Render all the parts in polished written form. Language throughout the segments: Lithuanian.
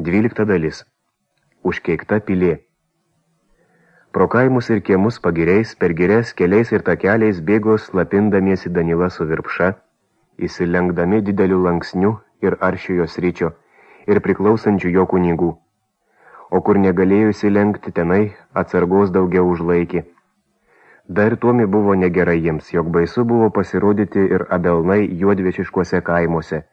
12 dalis. Užkeikta pilė. Pro kaimus ir kiemus pagiriais, per girias keliais ir takeliais bėgo slapindamiesi Danila su Virpša, įsilenkdami dideliu lanksniu ir aršiojo sričio ir priklausančių jo kunigų. O kur negalėjo įsilenkti, tenai atsargos daugiau užlaikė. Dar tuomi buvo negerai jiems, jog baisu buvo pasirodyti ir abelnai juodviešiškuose kaimuose.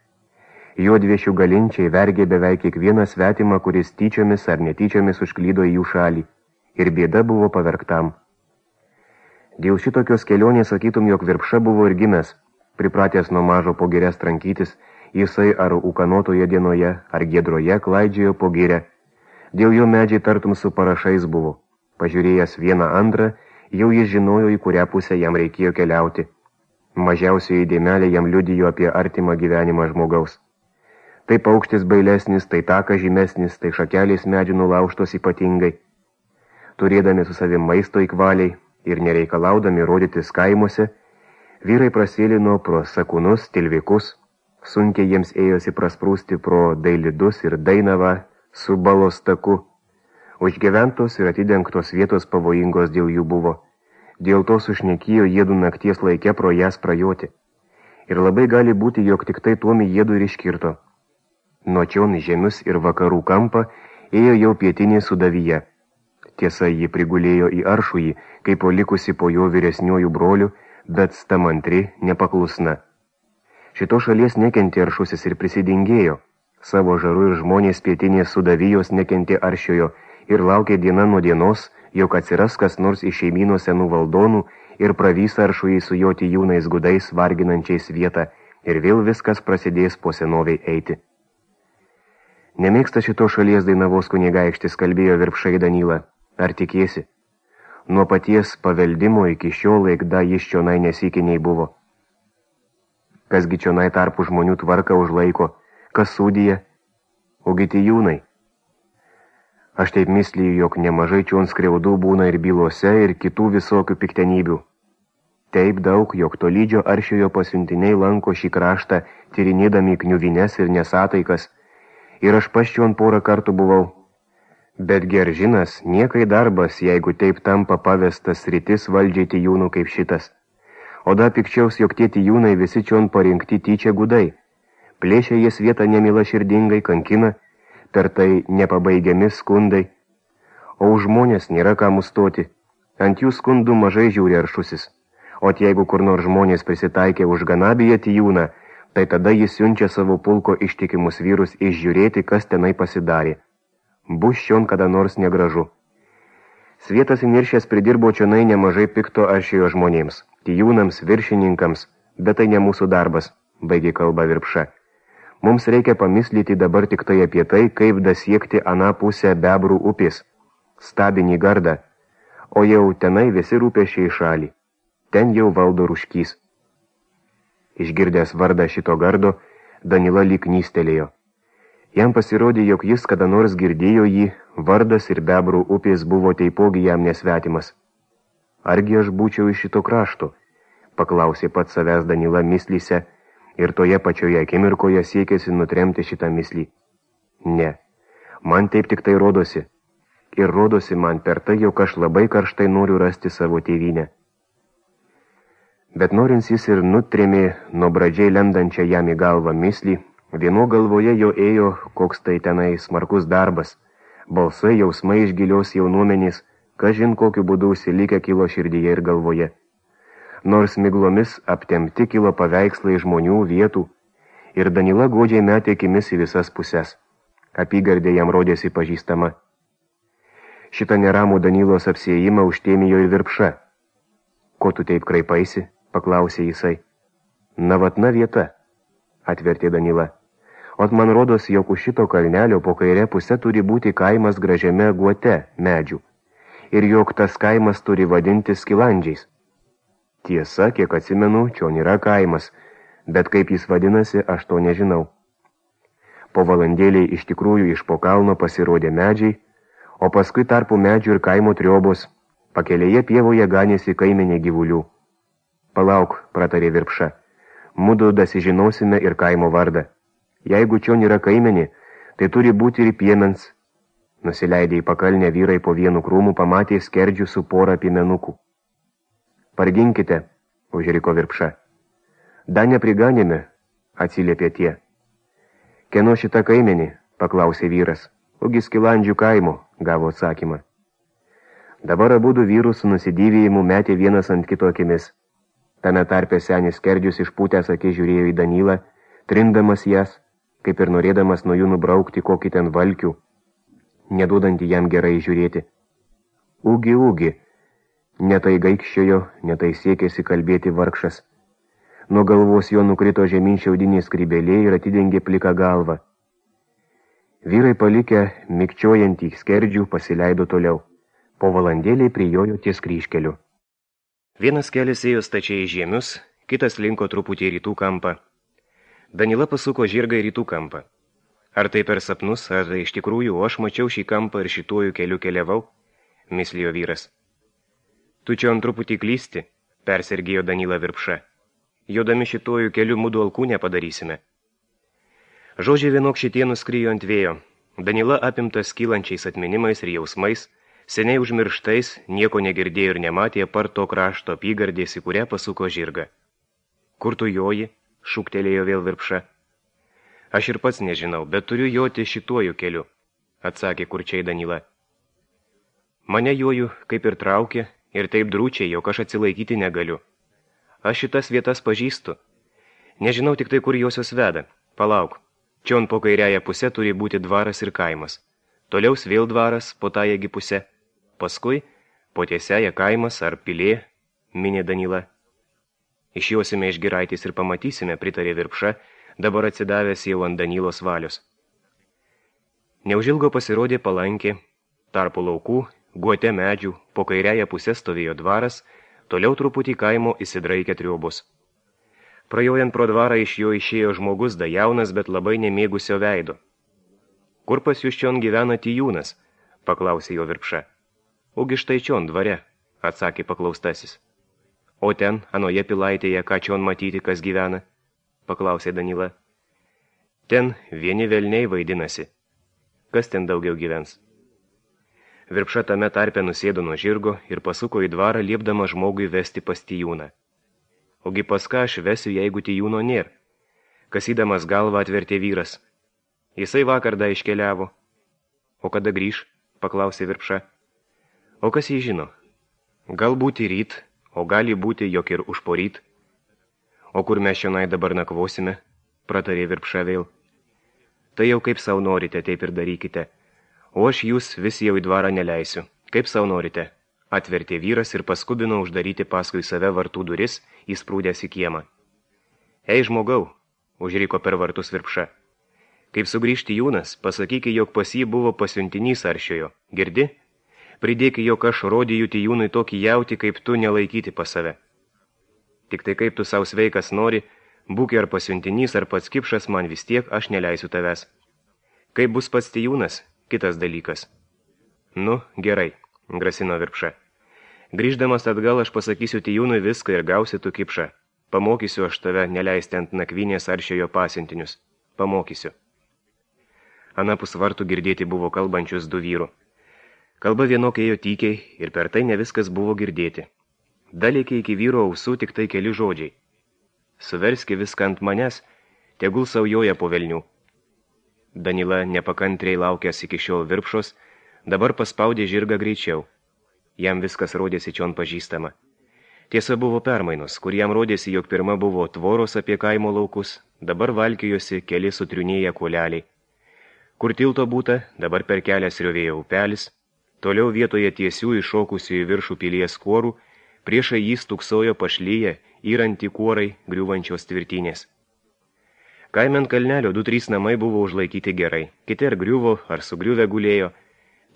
Juodviešių galinčiai vergė beveik kiekvieną svetimą, kuris tyčiomis ar netyčiomis užklydo į jų šalį, ir bėda buvo pavergtam. Dėl šitokios kelionės sakytum, jog Virpša buvo ir gimęs, pripratęs nuo mažo po girias trankytis, jisai ar ūkanotoje dienoje, ar giedroje klaidžiojo po girę. Dėl jo medžiai tartum su parašais buvo. Pažiūrėjęs vieną antrą, jau jis žinojo, į kurią pusę jam reikėjo keliauti. Mažiausioji dėmelė jam liudijo apie artimą gyvenimą žmogaus. Tai paukštis bailesnis, tai takas žymesnis, tai šakelės medžių nulaužtos ypatingai. Turėdami su savim maisto įkvaliai ir nereikalaudami rodytis kaimuose, vyrai prasėlino pro sakūnus, tilvikus, sunkiai jiems ėjosi prasprūsti pro Dailidus ir Dainavą su balos taku. Užgyventos ir atidengtos vietos pavojingos dėl jų buvo. Dėl to sušnekėjo jėdų nakties laike pro jas prajoti. Ir labai gali būti, jog tik tai tuomi jėdų ir iškirto. Nuo čion žemius ir vakarų kampą ėjo jau pietinė Sudavyje. Tiesa, ji prigulėjo į Aršųjį, kaip likusi po jo vyresniųjų brolių, bet stamantri nepaklusna. Šito šalies nekentė Aršusis ir prisidingėjo. Savo žaru ir žmonės pietinės Sudavijos nekentė Aršiojo ir laukė diena nuo dienos, jog atsiras kas nors iš šeimyno senų valdonų ir pravys Aršųjį su jo tijūnais gudais varginančiais vietą ir vėl viskas prasidės po senoviai eiti. Nemėgsta šito šalies Dainavos kunigaikštis, kalbėjo Virpšai Danila. Ar tikėsi? Nuo paties paveldimo iki šiol laikda jis čionai nesikiniai buvo. Kasgi čionai tarpų žmonių tvarką užlaiko, kas sūdyje? Ogi tijūnai. Aš taip mislyju, jog nemažai čion skriaudų būna ir bylose, ir kitų visokių piktenybių. Taip daug, jog tolydžio Aršiojo pasiuntiniai lanko šį kraštą, tyrinėdami kniuvines ir nesataikas, ir aš paščion porą kartų buvau. Bet geržinas, niekai darbas, jeigu taip tampa pavestas rytis valdžiai tijūnų kaip šitas. O da pikčiaus, jog tie tijūnai visi čion parinkti tyčia gudai. Plėšia jas vietą nemila širdingai, kankina, per tai nepabaigiami skundai. O už žmonės nėra ką mustoti. Ant jų skundų mažai žiūri Aršusis. O jeigu kur nors žmonės prisitaikė už Ganabiją tijūną, tai tada jis siunčia savo pulko ištikimus vyrus išžiūrėti, kas tenai pasidarė. Bus šion kada nors negražu. Svietas įniršęs pridirbo čionai nemažai pikto Aršiojo žmonėms, tijūnams, viršininkams, bet tai ne mūsų darbas, baigė kalba Virpša. Mums reikia pamislyti dabar tik tai apie tai, kaip dasiekti aną pusę Bebrų upės, Stabinį gardą, o jau tenai visi rūpesčiai šalį. Ten jau valdo Ruškys. Išgirdęs vardą šito gardo, Danila lyg nystelėjo. Jam pasirodė, jog jis kada nors girdėjo jį, vardas ir Bebrų upės buvo taipogi jam nesvetimas. Argi aš būčiau iš šito krašto? Paklausė pats savęs Danila mislyse, ir toje pačioje akimirkoje siekėsi nutremti šitą mislį. Ne, man taip tik tai rodosi. Ir rodosi man per tai, jog aš labai karštai noriu rasti savo tėvynę. Bet norins jis ir nutrėmė nuo pradžiai lendančią jam į galvą mislį, vieno galvoje jo ėjo koks tai tenai smarkus darbas, balsai, jausmai iš gilios jaunuomenės, kažin kokiu būdu užsilikę kilo širdyje ir galvoje. Nors miglomis aptemti kilo paveikslai žmonių vietų, ir Danila godžiai metė akimis į visas pusės. Apygardė jam rodėsi pažįstama. Šitą neramų Danilos apsiėjimą užtėmijo ir Virpša. Ko tu taip kraipaisi? Paklausė jisai. Na vatna vieta, atvertė Danila. Ot man rodos, jog už šito kalnelio po kairę pusę turi būti kaimas gražiame guote medžių, ir jog tas kaimas turi vadinti Skilandžiais. Tiesa, kiek atsimenu, čion yra kaimas, bet kaip jis vadinasi, aš to nežinau. Po valandėliai iš tikrųjų iš po kalno pasirodė medžiai, o paskui tarpu medžių ir kaimo triobos, pakelėje pievoje ganėsi kaimenė gyvulių. Palauk, pratarė Virpša, mudu dasižinosime ir kaimo vardą. Jeigu čion yra kaimenė, Tai turi būti ir piemens. Nusileidę į pakalnę vyrai po vienu krūmu pamatė skerdžių su porą piemenukų. Parginkite, užriko Virpša. Da nepriganėme, atsiliepė tie. Kieno šita kaimenė, paklausė vyras. Ugi Skilandžių kaimo, gavo atsakymą. Dabar abudu vyrus su nusidėvėjimu metė vienas ant kito akimis. Tame tarpe senis skerdžius išpūtęs akis žiūrėjo į Danylą, trindamas jas, kaip ir norėdamas nuo jų nubraukti kokį ten valkių, neduodantį jam gerai žiūrėti. Ugi, netai gaikščiojo, netai siekėsi kalbėti vargšas. Nuo galvos jo nukrito žemyn šiaudinė skrybelė ir atidengė pliką galvą. Vyrai palikę mikčiojantį skerdžių pasileido toliau. Po valandėlį prijojo ties kryžkeliu. Vienas kelias ėjo stačiai į žiemius, kitas linko truputį į rytų kampą. Danila pasuko žirgą į rytų kampą. Ar tai per sapnus, ar tai iš tikrųjų, o aš mačiau šį kampą ir šituoju keliu keliavau, mislijo vyras. Tu čia ant truputį klysti, persergėjo Danila Virpša. Jodami šituoju keliu mudu alkūnę padarysime. Žodžiai vienok šitie nuskrijo ant vėjo. Danila apimtas kylančiais atminimais ir jausmais, seniai užmirštais, nieko negirdėjo ir nematė apart to krašto apygardės, į kurią pasuko žirgą. Kur tu joji? Šūktelėjo vėl Virpša. Aš ir pats nežinau, bet turiu joti šituoju keliu, atsakė kurčiai Danila. Mane joju kaip ir traukė ir taip drūčiai, jog aš atsilaikyti negaliu. Aš šitas vietas pažįstu. Nežinau tik tai, kur josios veda. Palauk. Čion po kairiąją pusę turi būti dvaras ir kaimas. Toliau vėl dvaras po tąjagi pusę. Paskui po tiesiąją kaimas ar pilė, minė Danila. Išjosime iš giraitės ir pamatysime, pritarė Virpša, dabar atsidavęs jau ant Danylos valios. Neužilgo pasirodė palankė, tarpu laukų, guote medžių, po kairiąją pusę stovėjo dvaras, toliau truputį kaimo įsidraikė triobus. Praėjant pro dvarą iš jo išėjo žmogus, da jaunas, bet labai nemėgusio veido. Kur pas jūs čion gyvena Tijūnas? Paklausė jo Virpša. Ugi štai čion dvare, atsakė paklaustasis. O ten, anoje pilaitėje, ką čion matyti, kas gyvena? Paklausė Danila. Ten vieni velniai vaidinasi. Kas ten daugiau gyvens? Virpša tame tarpe nusėdo nuo žirgo ir pasuko į dvarą, liepdama žmogui vesti pas Tijūną. Ogi pas ką aš vesiu, jeigu Tijūno nėr? Kasydamas galvą atvertė vyras. Jisai vakar da iškeliavo. O kada grįž? Paklausė Virpša. O kas jį žino? Galbūt į ryt, o gali būti, jog ir užporyt. O kur mes šionai dabar nakvosime? Pratarė Virpša vėl. Tai jau kaip savo norite, taip ir darykite. O aš jūs vis jau į dvarą neleisiu. Kaip savo norite? Atvertė vyras ir paskubino uždaryti paskui save vartų duris, įsprūdęs į kiemą. Ei žmogau, užriko per vartus Virpša. Kaip sugrįžti Tijūnas, pasakyki, jog pas jį buvo pasiuntinys aršiojo. Girdi? Pridėki, jog aš rodiju Tijūnui tokį jauti, kaip tu nelaikyti pas save. Tik tai kaip tu savo sveikas nori, būk ar pasiuntinys, ar pats kipšas, man vis tiek aš neleisiu tavęs. Kaip bus pats Tijūnas, kitas dalykas. Nu, gerai, grasino Virpša. Grįždamas atgal aš pasakysiu Tijūnui viską ir gausi tu kipšą. Pamokysiu aš tave neleisti ant nakvynės aršiojo pasiuntinius. Pamokysiu. Anapus vartų girdėti buvo kalbančius du vyrų. Kalba vienokia ėjo tykiai ir per tai ne viskas buvo girdėti. Dalėkė iki vyro ausų tik tai keli žodžiai. Suverski viską ant manęs, tegul saujoja po velnių. Danila nepakantriai laukęs iki šiol Virpšos, dabar paspaudė žirgą greičiau. Jam viskas rodėsi čion pažįstama. Tiesa buvo permainos, kur jam rodėsi, jog pirma buvo tvoros apie kaimo laukus, dabar valkiojosi keli sutriunėję kuoleliai. Kur tilto būta, dabar per kelią sriovėjo upelis, toliau vietoje tiesių iššokusių į viršų pilies kuorų, priešai jį stūksojo pašlyje, įranti kuorai griūvančios tvirtinės. Kaime ant kalnelio 2-3 namai buvo užlaikyti gerai, kiti ar griuvo, ar sugriuvę gulėjo,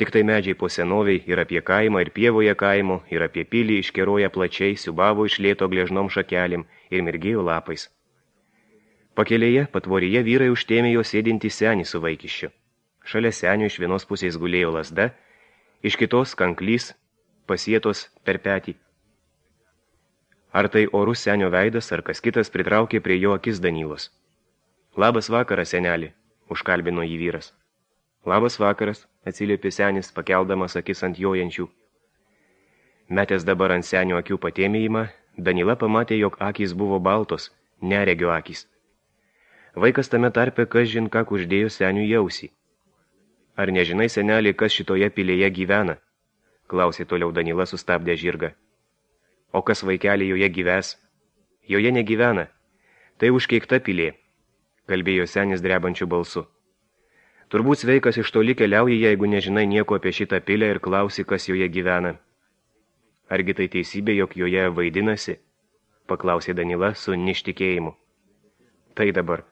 tik tai medžiai po senoviai ir apie kaimą, ir pievoje kaimo, ir apie pilį iškeroja plačiai, siubavo iš lėto gležnom šakelim ir mirgėjo lapais. Pakelėje, patvoryje vyrai užtėmė jo sėdintį senį su vaikiščiu. Šalia senio iš vienos pusės gulėjo lazda, iš kitos kanklys, pasietos per petį. Ar tai orus senio veidas, ar kas kitas pritraukė prie jo akis Danylos. Labas vakaras, senelį, užkalbino jį vyras. Labas vakaras, atsiliepė senis, pakeldamas akis ant jojančių. Metęs dabar ant senio akių patėmėjimą, Danila pamatė, jog akys buvo baltos, neregio akys. Vaikas tame tarpe kažin ką kuždėjo seniui į ausį. Ar nežinai, senelį, kas šitoje pilėje gyvena? Klausė toliau Danila, sustabdė žirgą. O kas vaikelį joje gyves? Joje negyvena. Tai užkeikta pilė, kalbėjo senis drebančiu balsu. Turbūt sveikas iš toli keliauji, jeigu nežinai nieko apie šitą pilę ir klausi, kas joje gyvena. Argi tai teisybė, jog joje vaidinasi? Paklausė Danila su ništikėjimu. Tai dabar.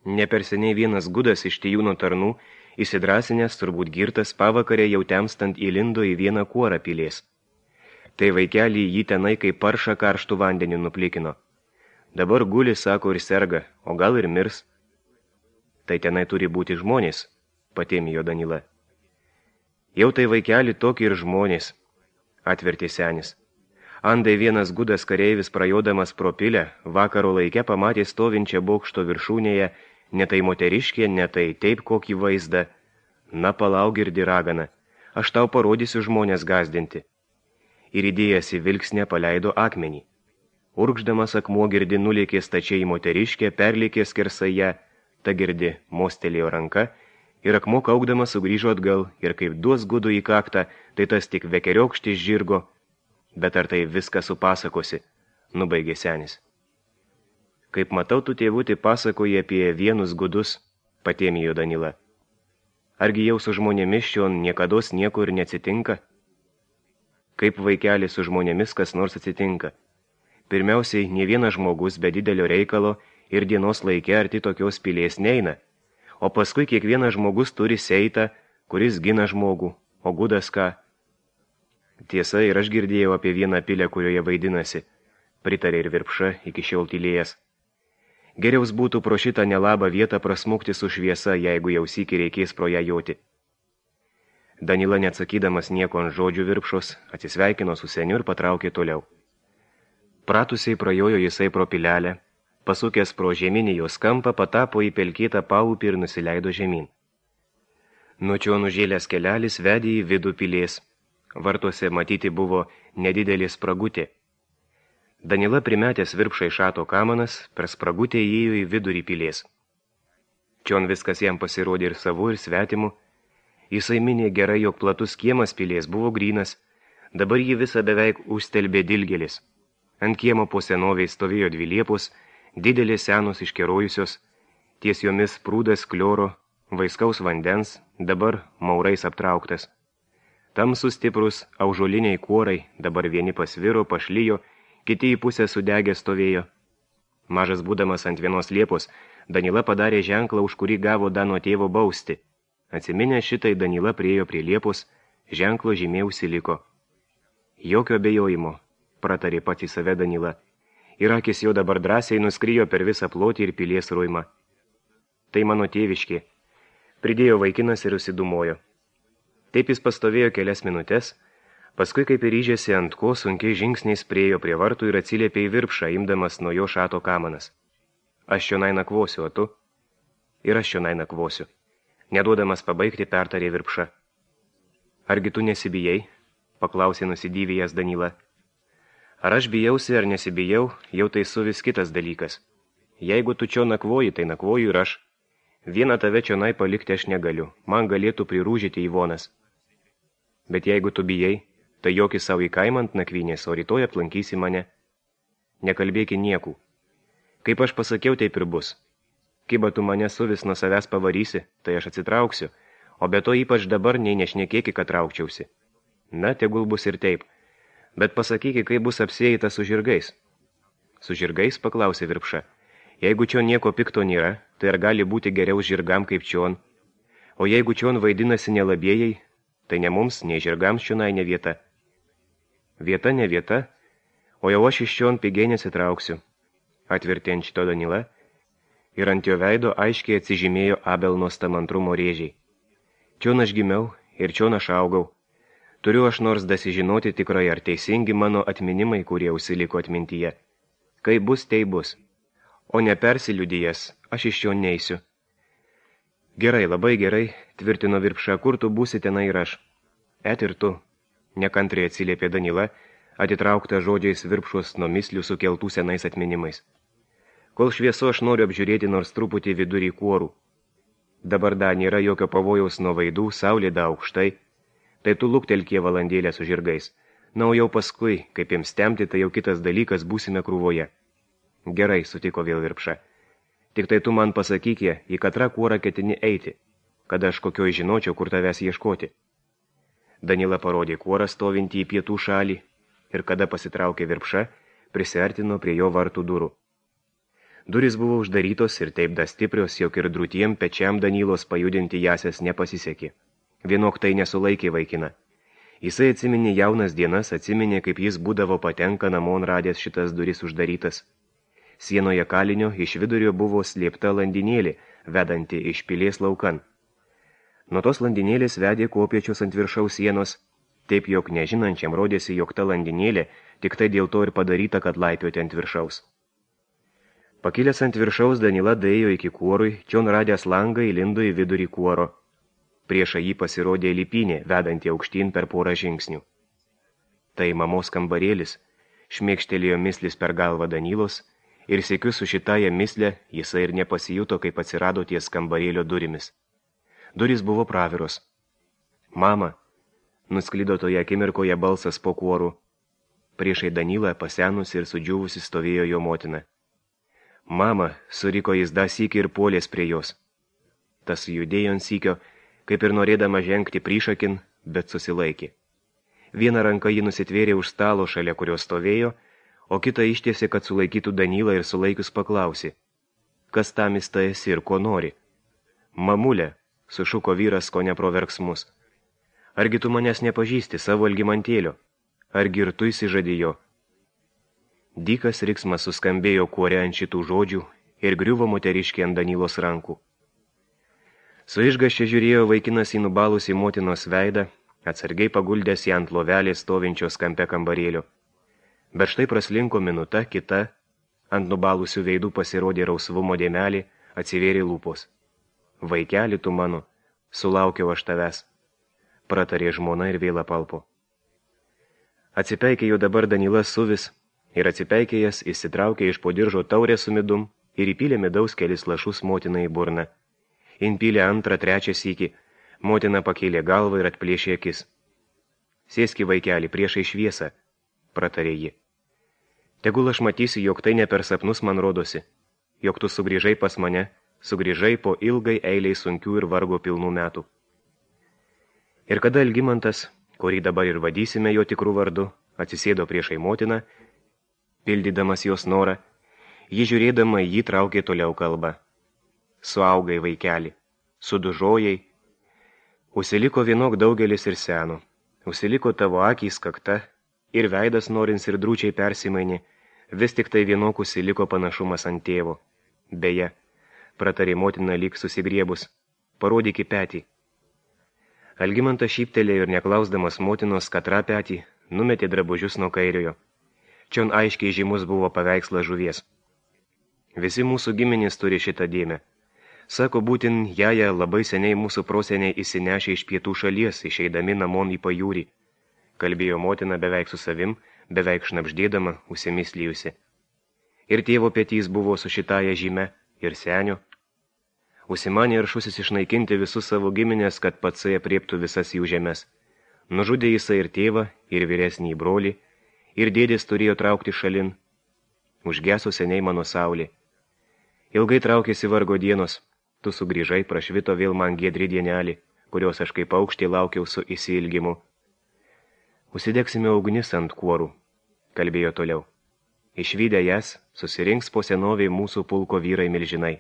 Neperseniai vienas gudas iš Tijūno tarnų, įsidrasinęs, turbūt girtas, pavakarė jau temstant įlindo į vieną kuorą pilės. Tai vaikelį jį tenai kaip paršą karštų vandeniu nuplikino. Dabar guli, sako, ir serga, o gal ir mirs. Tai tenai turi būti žmonės, patėmijo Danila. Jau tai vaikelį tokį ir žmonės, atvertė senis. Andai vienas gudas kareivis prajodamas pro pilę, vakaro laike pamatė stovinčią bokšto viršūnėje, ne tai moteriškė, ne tai taip kokį vaizdą. Na, palauk, girdi ragana, aš tau parodysiu žmonės gazdinti. Ir įdėjęs į vilksnę paleido akmenį. Urgždamas akmuo girdi nulėkė stačiai moteriškė, perlėkė skersai ją, ta girdi mostelėjo ranka, ir akmuo kaukdamas sugrįžo atgal, ir kaip duos gudu į kaktą, tai tas tik vekeriokštis žirgo. Bet ar tai viską supasakosi, nubaigė senis. Kaip matau, tu tėvutį pasakoji apie vienus gudus, patėmijo Danila. Argi jau su žmonėmis šion niekados nieko ir neatsitinka? Kaip vaikeli su žmonėmis kas nors atsitinka? Pirmiausiai, ne vienas žmogus be didelio reikalo ir dienos laike arti tokios pilės neina, o paskui kiekvienas žmogus turi seitą, kuris gina žmogų, o gudas ką? Tiesa, ir aš girdėjau apie vieną pilę, kurioje vaidinasi, pritarė ir Virpša iki šiol tylėjęs. Geriaus būtų pro šitą nelabą vietą prasmukti su šviesa, jeigu jau sykį reikės pro ją joti. Danila, neatsakydamas nieko ant žodžių Virpšos, atsisveikino su seniu ir patraukė toliau. Pratusiai prajojo jisai pro pilelę, pasukęs pro žeminį jos kampą, patapo į pelkėtą paupį ir nusileido žemyn. Nuo čia nužėlęs kelelis vedė į vidų pilės. Vartuose matyti buvo nedidelė spragutė. Danila primetęs Virpšai šato kamanas, per spragutę įėjo į vidurį pilės. Čion viskas jam pasirodė ir savu, ir svetimu. Jisai minė gerai, jog platus kiemas pilės buvo grynas, dabar jį visą beveik užstelbė dilgėlis. Ant kiemo po senoviai stovėjo dvi liepos, didelės senos iškerojusios, ties jomis prūdas klioro, vaiskaus vandens, dabar maurais aptrauktas. Tamsus stiprus aužoliniai kuorai, dabar vieni pasviro, pašlijo, kiti į pusę sudegę stovėjo. Mažas būdamas ant vienos liepos, Danila padarė ženklą, už kurį gavo Dano tėvo bausti. Atsiminę šitai, Danila priėjo prie liepos, ženklo žymė užsiliko. Jokio abejojimo, pratarė pats į save Danila. Ir akis jo dabar drąsiai nuskrijo per visą plotį ir pilies ruimą. Tai mano tėviškė, pridėjo vaikinas ir užsidumojo. Taip jis pastovėjo kelias minutės, paskui kaip ir ryžėsi ant ko, sunkiai žingsniais priejo prie vartų ir atsiliepė į Virpšą, imdamas nuo jo šato kamanas. Aš čionai nakvosiu, o tu? Ir aš čionai nakvosiu. Neduodamas pabaigti, pertarė Virpša. Argi tu nesibijai? Paklausė nusidyvėjęs Danila. Ar aš bijausi ar nesibijau, jau tai su vis kitas dalykas. Jeigu tu čia nakvoji, tai nakvoju ir aš. Vieną tave čionai palikti aš negaliu, man galėtų prirūžyti Ivonas. Bet jeigu tu bijai, tai joki savo į kaimą ant nakvynės, o rytoj aplankysi mane. Nekalbėki niekų. Kaip aš pasakiau, taip ir bus. Kiba tu mane suvis nuo savęs pavarysi, tai aš atsitrauksiu, o be to ypač dabar nei nešnekėki, kad traukčiausi. Na, tegul bus ir taip. Bet pasakyki, kaip bus apsieita su žirgais. Su žirgais, paklausė Virpša. Jeigu čion nieko pikto nėra, tai ar gali būti geriau žirgam kaip čion? O jeigu čion vaidinasi nelabėjai, tai ne mums, nei žirgams čionai ne vieta. Vieta ne vieta, o jau aš iš čion pigiai nesitrauksiu. Atvertė ant šito Danila, ir ant jo veido aiškiai atsižymėjo Abelno stamantrumo rėžiai. Čion aš gimiau ir čion aš augau. Turiu aš nors dasižinoti tikrai, ar teisingi mano atminimai, kurie užsiliko atmintyje. Kai bus, tai bus. O nepersiliudijęs, aš iš jo neisiu. Gerai, labai gerai, tvirtino Virpša, kur tu būsi tenai ir aš. Et ir tu, nekantriai atsiliepė Danila, atitraukta žodžiais Virpšos nuo mislių sukeltų senais atminimais. Kol švieso aš noriu apžiūrėti nors truputį vidurį kuorų. Dabar dar nėra jokio pavojaus nuo vaidų, saulė da aukštai, tai tu luktelkie valandėlę su žirgais. Na, o jau paskui, kaip jiems temti, tai jau kitas dalykas, būsime krūvoje. Gerai, sutiko vėl Virpša. Tik tai tu man pasakykie, į katrą kuorą ketini eiti, kad aš kokioj žinočiau, kur tavęs ieškoti. Danila parodė kuorą stovintį į pietų šalį ir kada pasitraukė Virpša, prisiartino prie jo vartų durų. Durys buvo uždarytos ir taip da stiprios, jog ir drūtiem pečiam Danilos pajudinti jasės nepasisekė. Vienok tai nesulaikė vaikina. Jisai atsiminė jaunas dienas, atsiminė, kaip jis būdavo patenka namon radęs šitas duris uždarytas. Sienoje kalinio iš vidurio buvo slėpta landinėlė, vedanti iš pilies laukan. Nuo tos landinėlės vedė kopiečius ant viršaus sienos, taip jog nežinančiam rodėsi, jog ta landinėlė tik tai dėl to ir padaryta, kad laipioti ant viršaus. Pakilęs ant viršaus, Danila daėjo iki kuorui, čion radęs langą įlindo į vidurį kuoro. Priešą jį pasirodė lipinė, vedanti aukštyn per porą žingsnių. Tai mamos kambarėlis, šmėkštelėjo mislis per galvą Danilos, ir siekiu su šitąją mislę jisai ir nepasijuto, kaip atsirado ties kambarėlio durimis. Durys buvo praviros. Mama, nusklido toje akimirkoje balsas po kuoru. Priešai Danilą pasenusi ir sudžiūvusi stovėjo jo motina. Mama, suriko jis dar sykį ir puolės prie jos. Tas judėjo ant sykio, kaip ir norėdama žengti priešakin, bet susilaikė. Vieną ranką ji nusitvėrė už stalo, šalia kurio stovėjo, o kitą ištiesė, kad sulaikytų Danilą ir sulaikius paklausė. Kas tamis ta esi ir ko nori? Mamulė, sušuko vyras, ko neproverksmus. Argi tu manęs nepažįsti savo Algimantėlio? Argi ir tu įsižadėjo? Dykas riksmas suskambėjo kuore ant šitų žodžių ir griuvo moteriškė ant Danilos rankų. Su išgaščia žiūrėjo vaikinas į nubalusį motinos veidą, atsargiai paguldęs ją ant lovelės stovinčios kampe kambarėlio. Bet štai praslinko minuta, kita, ant nubalusių veidų pasirodė rausvumo dėmelį, atsivėrė lūpos. Vaikeli tu mano, sulaukiau aš tavęs, pratarė žmona ir vėl apalpo. Atsipeikė jau dabar Danilas suvis, ir atsipeikėjęs įsitraukė iš po diržo taurę su midum ir įpylė midaus kelis lašus motinai į burną. Inpylė antrą, trečią sykį, motina pakėlė galvą ir atplėšė akis. Sėski vaikeli priešai šviesą, pratarė ji. Tegul aš matysiu, jog tai ne per sapnus man rodosi, jog tu sugrįžai pas mane, sugrįžai po ilgai eiliai sunkių ir vargo pilnų metų. Ir kada Algimantas, kurį dabar ir vadysime jo tikrų vardu, atsisėdo priešai motiną, pildydamas jos norą, ji žiūrėdama jį traukė toliau kalbą. Suaugai vaikeli, sudužojai, užsiliko vienok daugelis ir seno, užsiliko tavo akys kakta, ir veidas norins ir drūčiai persimainė, vis tik tai vienok užsiliko panašumas ant tėvo. Beje, pratarė motina lyg susigriebus, parodyk į petį. Algimantas šyptelėjo ir neklausdamas motinos katrą petį, numetė drabužius nuo kairiojo. Čion aiškiai žymus buvo paveikslas žuvies. Visi mūsų giminės turi šitą dėmę. Sako, būtin jaja labai seniai mūsų proseniai įsinešė iš pietų šalies, išeidami namon į pajūrį. Kalbėjo motina beveik su savim, beveik šnapždėdama, užsimislijusi. Ir tėvo petys buvo su šitąja žyme, ir senio. Užsimanė aršusis išnaikinti visus savo giminės, kad patsai apriektų visas jų žemės. Nužudė jisai ir tėvą, ir vyresnį brolį, ir dėdės turėjo traukti šalin. Užgeso seniai mano saulė. Ilgai traukėsi vargo dienos, tu sugrįžai, prašvito vėl man giedri dienelį, kurios aš kaip aukštį laukiau su įsiilgimu. Užsidegsime ugnis ant kuorų, kalbėjo toliau. Išvydę jas, susirinks po senoviai mūsų pulko vyrai milžinai.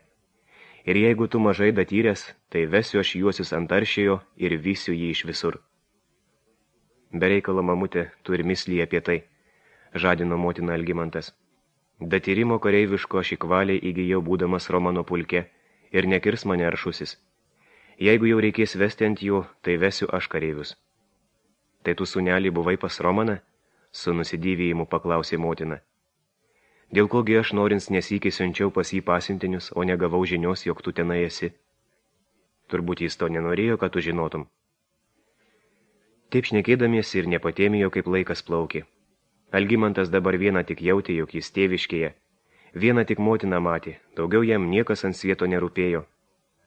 Ir jeigu tu mažai datyręs, tai vesiu aš juosius ant aršėjo ir vysiu jį iš visur. Bereikalo mamutė, tu ir mislį apie tai, žadino motina Algimantas. Datyrimo kareiviško aš įkvaliai įgijau būdamas Romano pulke ir nekirs mane aršusis. Jeigu jau reikės vesti ant jų, tai vesiu aš kareivius. Tai tu, sūnelį, buvai pas Romaną? Su nusidėvėjimu paklausė motina. Dėl kogi aš norins nesykį siunčiau pas jį pasiuntinius, o negavau žinios, jog tu tenai esi. Turbūt jis to nenorėjo, kad tu žinotum. Taip šnekėdamiesi ir nepatėmijo, kaip laikas plaukė. Algimantas dabar vieną tik jautė, jog jis tėviškėje. Vieną tik motiną matė, daugiau jam niekas ant svieto nerūpėjo.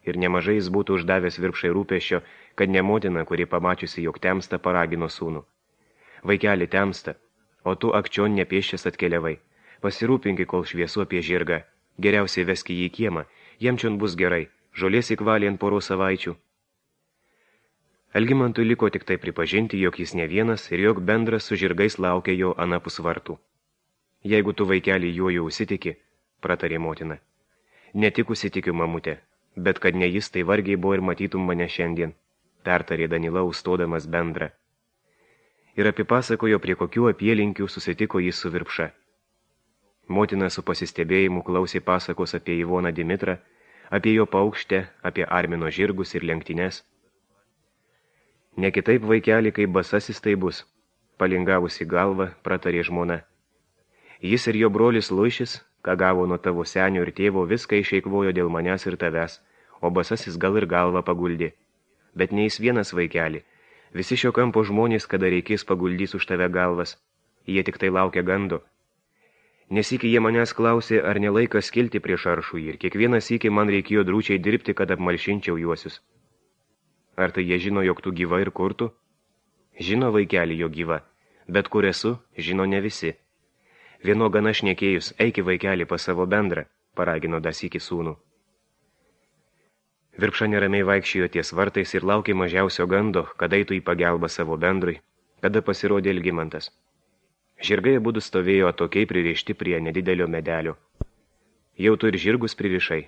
Ir nemažai jis būtų uždavęs Virpšai rūpesčio, kad ne motina, kuri pamačiusi, jog temsta, paragino sūnų. Vaikeli, temsta, o tu akčion nepieščias atkeliavai. Pasirūpinki, kol šviesu apie žirgą. Geriausiai veski jį į kiemą, jam čion bus gerai, žolės įkvalė ant porų savaičių. Algimantui liko tik tai pripažinti, jog jis ne vienas ir jog bendras su žirgais laukia jo anapus vartų. Jeigu tu, vaikelį, juo jau užsitiki, pratarė motina. Ne tik užsitikiu, mamutė, bet kad ne jis, tai vargiai buvo ir matytum mane šiandien, pertarė Danila, užstodamas bendrą. Ir apipasakojo, prie kokių apylinkių susitiko jis su Virpša. Motina su pasistebėjimu klausė pasakos apie Ivoną Dimitrą, apie jo paukštę, apie Armino žirgus ir lenktynes. Ne kitaip, vaikeli, kaip basasis tai bus, palingavusi galvą, pratarė žmona. Jis ir jo brolis Luišis, ką gavo nuo tavo senio ir tėvo, viską išeikvojo dėl manęs ir tavęs, o basasis gal ir galvą paguldė. Bet ne jis vienas, vaikeli, visi šio kampo žmonės, kada reikės, paguldys už tave galvas, jie tik tai laukia gando. Nesikį jie manęs klausė, ar nelaikas kilti prieš aršų ir kiekvieną sykį man reikėjo drūčiai dirbti, kad apmalšinčiau juosius. Ar tai jie žino, jog tu gyva ir kur tu? Žino, vaikeli, jo gyva, bet kur esu, žino ne visi. Vieno gana šnekėjus, eiki, vaikeli, pas savo bendrą, paragino dasykį sūnų. Virpša neramiai vaikščiojo ties vartais ir laukė mažiausio gando, kada eitų į pagalbą savo bendrui, kada pasirodė Algimantas. Žirgai abudu stovėjo atokiai pririšti prie nedidelio medelio. Jau tu ir žirgus pririšai,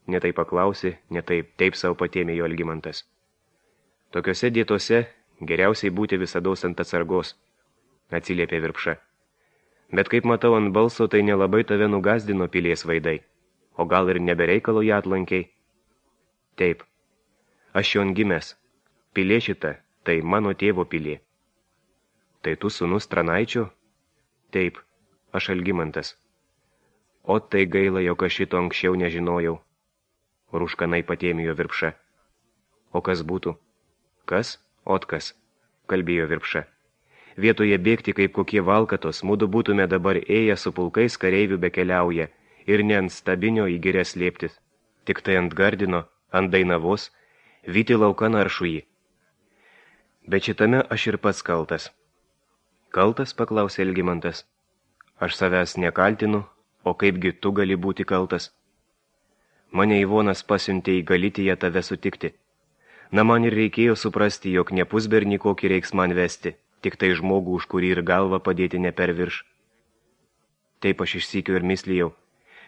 netai paklausė, netai taip savo patėmė jo Algimantas. Tokiose dietose geriausiai būti visados ant atsargos, atsiliepė Virpša. Bet kaip matau ant balso, tai nelabai tave nugazdino pilies vaidai, o gal ir nebereikalo ją atlankiai. Taip, aš jon gimęs, pilė šita, tai mano tėvo pilė. Tai tu sūnus Tranaičio? Taip, aš Algimantas. O tai gaila, jog aš šito anksčiau nežinojau. Rūškanai patėmijo Virpša. O kas būtų? Kas? Otkas, kalbėjo Virpša. Vietoje bėgti kaip kokie valkatos, mudu būtume dabar ėję su pulkais kareivių bekeliauja ir ne ant stabinio į girias slėptis, tik tai ant Gardino, ant Dainavos, vyti laukan aršų jį. Bet šitame aš ir pats kaltas. Kaltas, paklausė Algimantas. Aš savęs nekaltinu, o kaipgi tu gali būti kaltas? Mane Ivonas pasiuntė į Galitiją tave sutikti. Na man ir reikėjo suprasti, jog ne pusbernį kokį reiks man vesti, tik tai žmogų, už kurį ir galvą padėti ne per virš. Taip aš išsykiu ir mislijau,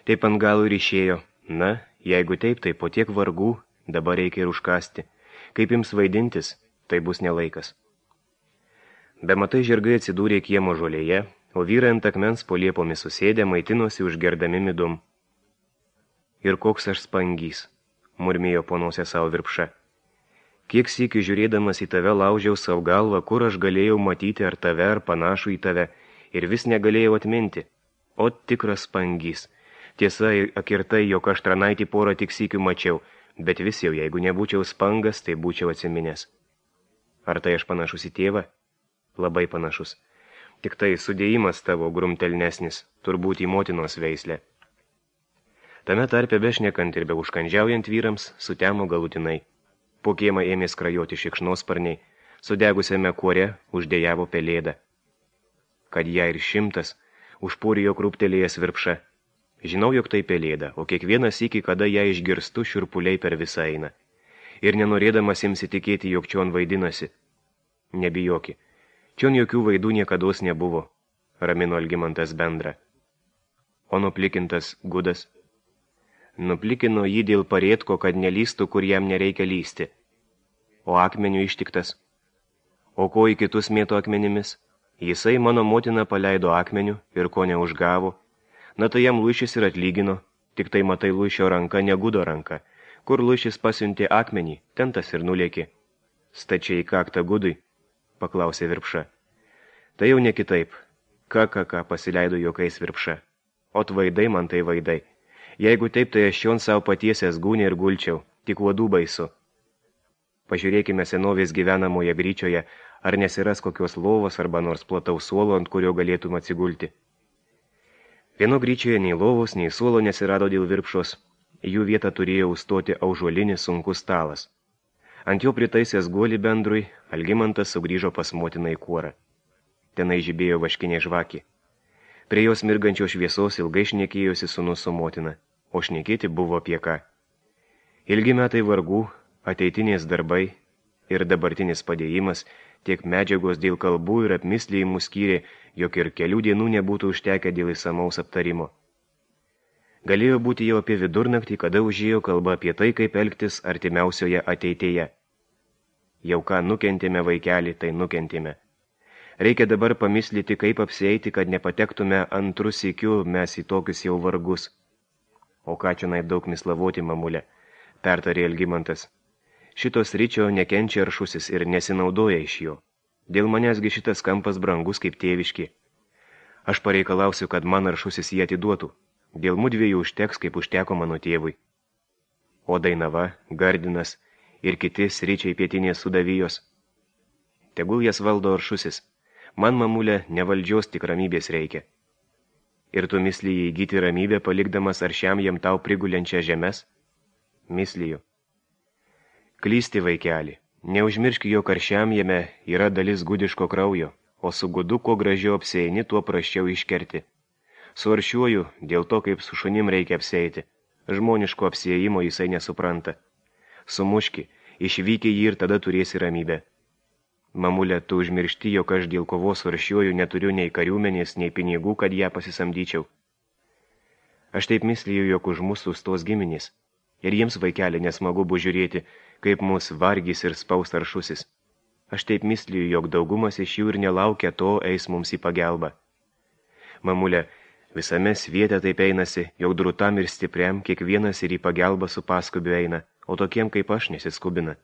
taip ant galų ir išėjo. Na, jeigu taip, tai po tiek vargų, dabar reikia ir užkasti. Kaip jums vaidintis, tai bus nelaikas. Bematai žirgai atsidūrė kiemo žolėje, o vyrai ant akmens po liepomis susėdę maitinosi užgerdami midum. Ir koks aš spangys, murmėjo po nosę savo Virpša. Kiek sykių žiūrėdamas į tave laužiau savo galvą, kur aš galėjau matyti ar tave, ar panašų į tave, ir vis negalėjau atminti. O tikras spangys. Tiesa, akirtai, jog aš Tranaitį porą tik sykių mačiau, bet vis jau, jeigu nebūčiau spangas, tai būčiau atsiminęs. Ar tai aš panašus į tėvą? Labai panašus. Tik tai sudėjimas tavo grumtelnesnis, turbūt į motinos veislę. Tame tarpe bešnekant ir be užkandžiaujant vyrams, sutemo galutinai. Po kiemą ėmė skrajoti šikšnosparniai, sudegusiame kuore uždėjavo pelėdą. Kad ją ir 100, užpūrijo krūptelėjęs Virpša. Žinau, jog tai pelėda, o kiekvienas iki, kada ją išgirstu, šiurpuliai per visą eina. Ir nenorėdamas imsi tikėti, jog čion vaidinasi. Nebijoki, čion jokių vaidų niekados nebuvo, ramino Algimantas bendrą. O nuplikintas Gudas? Nuplikino jį dėl parėtko, kad nelystų, kur jam nereikia lysti. O akmenių ištiktas. O ko į kitus mėto akmenimis? Jisai mano motina paleido akmenių ir ko neužgavo. Na tai jam Luišis ir atlygino, tik tai matai Luišio ranka, ne Gudo ranka. Kur Luišis pasiuntė akmenį, ten tas ir nulėkė. Stačiai į kaktą Gudui, paklausė Virpša. Tai jau ne kitaip. Ką, pasileido juokais Virpša. O vaidai man tai vaidai. Jeigu taip, tai aš jon savo patiesęs gūnį ir gulčiau, tik uodų baisu. Pažiūrėkime senovės gyvenamoje gryčioje, ar nesiras kokios lovos arba nors plataus suolo, ant kurio galėtum atsigulti. Vieno gryčioje nei lovos, nei suolo nesirado dėl virpšos. Jų vietą turėjo užstoti aužuolinis sunkus stalas. Ant jo pritaisęs guolį bendrui, Algimantas sugrįžo pas motiną į kuorą. Tenai žibėjo vaškinė žvakė. Prie jos mirgančios šviesos ilgai šnekėjosi sūnus su motina, o šnekėti buvo apie ką. Ilgi metai vargų, ateitinės darbai ir dabartinis padėjimas, tiek medžiagos dėl kalbų ir apmislijimų skyrė, jog ir kelių dienų nebūtų užtekę dėl įsamaus aptarimo. Galėjo būti jau apie vidurnaktį, kada užėjo kalba apie tai, kaip elgtis artimiausioje ateityje. Jau ką nukentėme, vaikelį, tai nukentėme. Reikia dabar pamislyti, kaip apsieiti, kad nepatektume antrų sykių mes į tokius jau vargus. O ką čia naip daug mislavoti, mamulė, pertarė Algimantas. Šitos ryčio nekenčia Aršusis ir nesinaudoja iš jo. Dėl manęsgi šitas kampas brangus kaip tėviški. Aš pareikalausiu, kad man Aršusis jį atiduotų. Dėl mudviejų užteks, kaip užteko mano tėvui. O Dainava, Gardinas ir kiti sričiai pietinės sudavijos. Tegul jas valdo Aršusis. Man, mamulė, ne valdžios, tik ramybės reikia. Ir tu mislyji įgyti ramybę, palikdamas aršiam jam tau prigulenčią žemes? Mislyju. Klysti, vaikeli. Neužmirški, jog aršiam jame yra dalis gudiško kraujo, o su gudu, kuo gražiau apsieini, tuo prasčiau iškerti. Su aršiuoju, dėl to, kaip su šunim reikia apsieiti. Žmoniško apsiejimo jisai nesupranta. Sumuški, išvyki jį ir tada turėsi ramybę. Mamulė, tu užmiršti, jog aš dėl kovos su aršiuoju neturiu nei kariuomenės, nei pinigų, kad ją pasisamdyčiau. Aš taip mislyju, jog už mūsų stos giminės. Ir jiems, vaikeli, nesmagu bus žiūrėti, kaip mus vargys ir spaus Aršusis. Aš taip mislyju, jog daugumas iš jų ir nelaukia to eis mums į pagelbą. Mamulė, visame sviete taip einasi, jog drūtam ir stipriam kiekvienas ir į pagelbą su paskubiu eina, o tokiem kaip aš nesiskubina.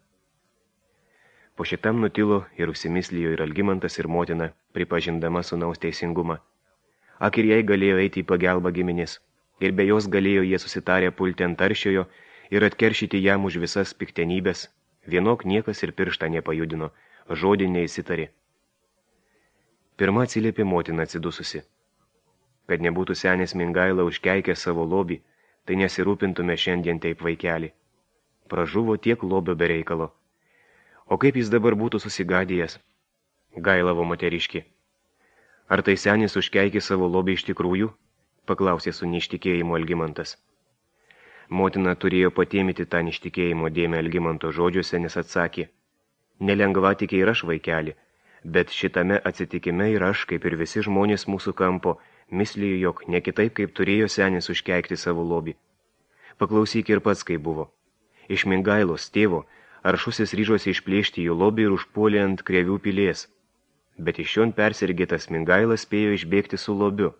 Po šitam nutilo ir užsimislijo ir Algimantas ir motina, pripažindama sūnaus teisingumą. Ak ir jai galėjo eiti į pagelbą giminės, ir be jos galėjo jie susitarę pulti ant Aršiojo ir atkeršyti jam už visas piktenybės. Vienok niekas ir pirštą nepajudino, žodį neįsitarė. Pirma atsiliepė motina atsidususi. Kad nebūtų senis Mingaila užkeikę savo lobį, tai nesirūpintume šiandien taip, vaikelį. Pražuvo tiek lobio bereikalo. O kaip jis dabar būtų susigadėjęs? Gailavo moteriški. Ar tai senis užkeikė savo lobį iš tikrųjų? Paklausė su neištikėjimu Algimantas. Motina turėjo patėmyti tą neištikėjimo dėmę Algimanto žodžiuose, nes atsakė. Nelengva tikė ir aš, vaikelį, bet šitame atsitikime ir aš, kaip ir visi žmonės mūsų kampo, mislijo, jog ne kitaip, kaip turėjo senis užkeikti savo lobį. Paklausyk ir pats, kaip buvo. Iš Mingailos tėvo Aršusis ryžosi išplėšti jų lobį ir užpuolė ant Krevių pilies. Bet iš šion persirgėtas Mingailas spėjo išbėgti su lobiu.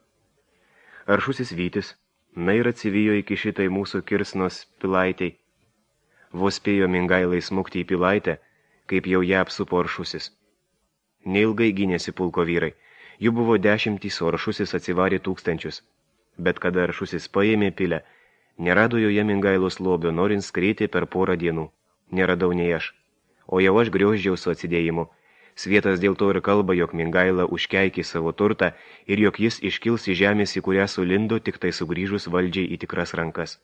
Aršusis Vytis, na ir atsivijo iki šitai mūsų Kirsnos pilaitei. Vos spėjo Mingailai smukti į pilaitę, kaip jau ją apsupo Aršusis. Neilgai gynėsi pulko vyrai. Jų buvo 10, o Aršusis atsivarė 1000. Bet kada Aršusis paėmė pilę, nerado joje Mingailos lobio, norint skrėti per porą dienų. Neradau nei aš. O jau aš grioždžiau su atsidėjimu. Svietas dėl to ir kalba, jog Mingaila užkeikė savo turtą ir jog jis iškils į žemės, į kurią sulindo, tik tai sugrįžus valdžiai į tikras rankas.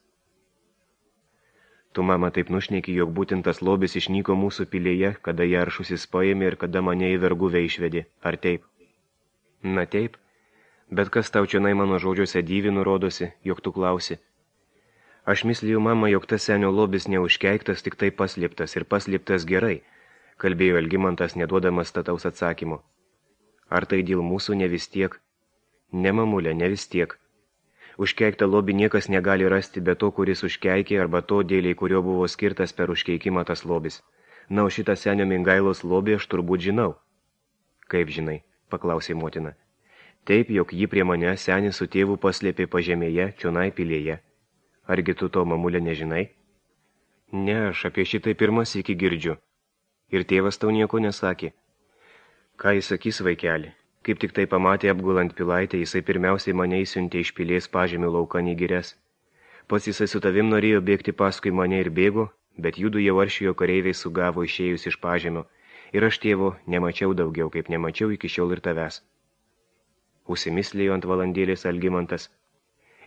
Tu, mama, taip nušneki, jog būtent tas lobis išnyko mūsų pilėje, kada ją Aršusis paėmė ir kada mane į verguvę išvedė. Ar taip? Na taip, bet kas tau čionai mano žodžiuose dyvinu rodosi, jog tu klausi. Aš mislijau, mama, jog tas senio lobis neužkeiktas, tik tai paslėptas ir paslėptas gerai, kalbėjo Algimantas, neduodamas stataus atsakymo. Ar tai dėl mūsų ne vis tiek? Ne, mamulė, ne vis tiek. Užkeiktą lobį niekas negali rasti be to, kuris užkeikė, arba to, dėliai kurio buvo skirtas per užkeikimą tas lobis. Na, o šitą senio Mingailos lobį aš turbūt žinau. Kaip žinai? Paklausė motina. Taip, jog jį prie mane senis su tėvu paslėpė pažemėje, čionai pilėje. Argi tu to, mamulė, nežinai? Ne, aš apie šitai pirmas iki girdžiu. Ir tėvas tau nieko nesakė. Ką jis sakys, vaikeli? Kaip tik tai pamatė apgulant pilaitę, jisai pirmiausiai mane įsiuntė iš pilės pažemių laukan į girias. Pats jisai su tavim norėjo bėgti paskui mane ir bėgo, bet judu jau aršijo kareiviai sugavo išėjus iš pažemio, ir aš, tėvo, nemačiau daugiau, kaip nemačiau iki šiol ir tavęs. Užsimislėjo ant valandėlės Algimantas.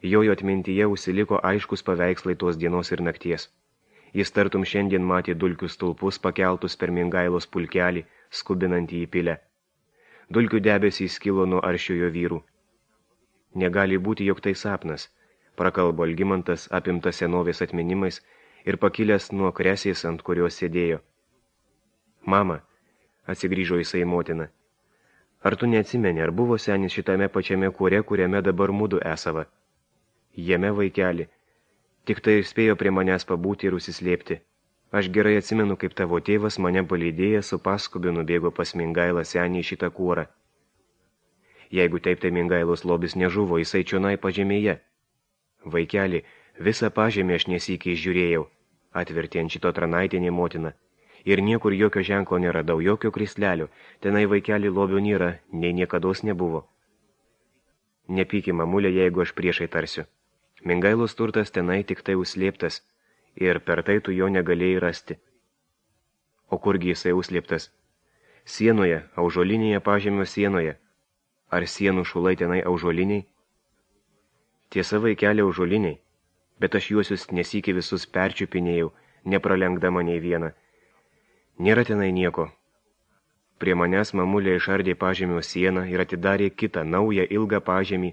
Jojo atmintyje užsiliko aiškus paveikslai tos dienos ir nakties. Jis tartum šiandien matė dulkių stulpus pakeltus per Mingailos pulkelį, skubinantį į pilę. Dulkių debesys skilo nuo aršiojo vyrų. Negali būti, jog tai sapnas, prakalbo Algimantas apimtas senovės atminimais ir pakilęs nuo kresės, ant kurios sėdėjo. Mama, atsigrįžo jisai motina, ar tu neatsimeni, ar buvo senis šitame pačiame kūre, kuriame dabar mudu esava? Jame, vaikeli, tik tai ir spėjo prie manęs pabūti ir užsislėpti. Aš gerai atsimenu, kaip tavo tėvas mane palydėjęs su paskubiu nubėgo pas Mingailą senį į šitą kūrą. Jeigu taip, tai Mingailos lobis nežuvo, jisai čionai pažemėje. Vaikeli, visą pažemę aš nesykiai žiūrėjau, atvertė ant šito Tranaitinė motina. Ir niekur jokio ženklo neradau, jokio krislelio, tenai vaikeli lobio nėra, nei niekados nebuvo. Nepyki, mamulė, jeigu aš priešai tarsiu. Mingailos turtas tenai tik tai užslėptas, ir per tai tu jo negalėjai rasti. O kurgi jisai užslėptas? Sienoje, aužolinėje pažemio sienoje. Ar sienų šulai tenai aužoliniai? Tiesa, vaikeli, aužoliniai, bet aš juosius nesyki visus perčiupinėjau, nepralenkdama nei vieną. Nėra tenai nieko. Prie manęs mamulė išardė pažemio sieną ir atidarė kitą, naują, ilgą pažemį,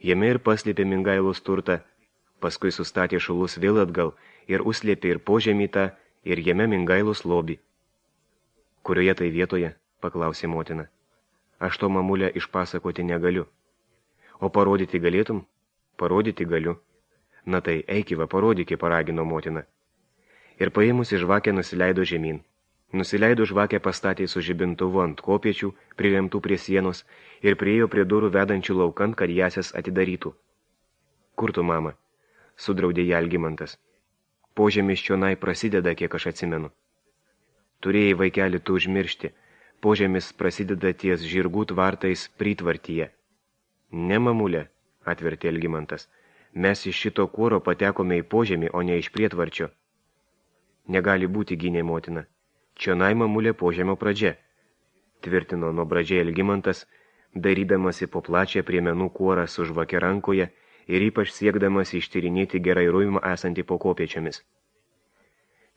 jame ir paslėpė Mingailos turtą, paskui sustatė šulus vėl atgal ir užslėpė ir požemį tą, ir jame Mingailos lobį. Kurioje tai vietoje? Paklausė motina. Aš to, mamulė, išpasakoti negaliu. O parodyti galėtum? Parodyti galiu. Na tai, eikiva, parodykį, paragino motina. Ir paėmusi žvakę nusileido žemyn. Nusileido žvakę pastatė su žibintuvu ant kopiečių, priremtų prie sienos, ir priėjo prie durų vedančių laukan, kad jasias atidarytų. Kur tu, mama? Sudraudė ją Algimantas. Požemis čionai prasideda, kiek aš atsimenu. Turėjai, vaikeli, tu užmiršti. Požemis prasideda ties žirgų tvartais pritvartyje. Ne, mamulė, atvertė Algimantas. Mes iš šito kuoro patekome į požemį, o ne iš prietvarčio. Negali būti, gynė motina. Čionai, mamulė, požemio pradžia, tvirtino nuo pradžiai Algimantas, darydamasi po plačią priemenų kuorą su žvake rankoje ir ypač siekdamas ištyrinėti gerai ruimą esantį po kopiečiamis.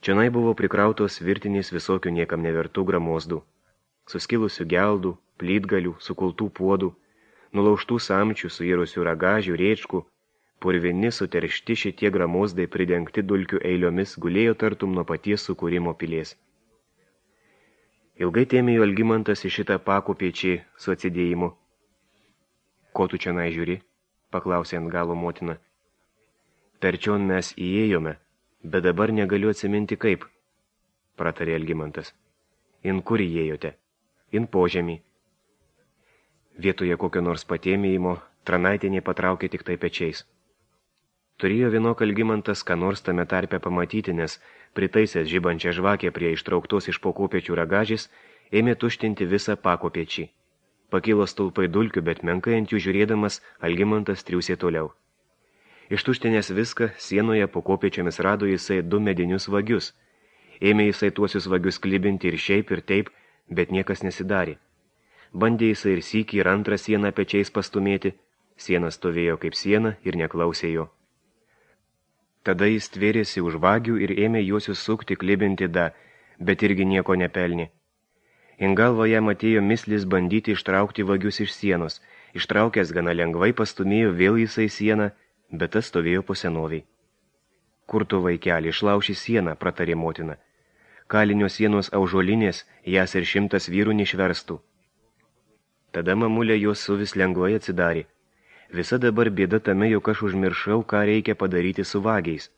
Čionai buvo prikrautos virtinės visokių niekam nevertų gramozdų, suskilusių geldų, plytgalių, sukultų puodų, nulaužtų samčių, suirusių ragažių, rėčkų, purvini suteršti šitie gramozdai pridengti dulkių eiliomis gulėjo tartum nuo paties sukūrimo pilies. Ilgai tėmėjo Algimantas į šitą pakopiečiį su atsidėjimu. Ko tu čionai žiūri? Paklausė ant galo motina. Per čion mes įėjome, bet dabar negaliu atsiminti kaip, pratarė Algimantas. In kur įėjote? In požemį. Vietoje kokio nors patėmėjimo Tranaitinė patraukė tik tai pečiais. Turėjo vienok Algimantas ką nors tame tarpe pamatyti, nes pritaisęs žibančią žvakę prie ištrauktos iš pokopiečių ragažės, ėmė tuštinti visą pakopiečiį. Pakilo stulpai dulkių, bet menkai ant jų žiūrėdamas, Algimantas triūsė toliau. Ištuštinęs viską, sienoje pokopiečiamis rado jisai 2 medinius vagius. Ėmė jisai tuosius vagius klibinti ir šiaip ir taip, bet niekas nesidarė. Bandė jisai ir sykį ir antrą sieną pečiais pastumėti, siena stovėjo kaip siena ir neklausė jo. Tada jis tvėrėsi už vagių ir ėmė juosius sukti, klibinti bet irgi nieko nepelnė. In galva jam atėjo mislis bandyti ištraukti vagius iš sienos. Ištraukęs gana lengvai pastumėjo vėl jisai sieną, bet tas stovėjo po senoviai. Kur tu, vaikeli, išlauši sieną, pratarė motina. Kalinio sienos aužolinės, jas ir 100 vyrų neišverstų. Tada mamulė jos suvis lengvai atsidarė. Visa dabar bėda tame, jog aš užmiršau, ką reikia padaryti su vagiais.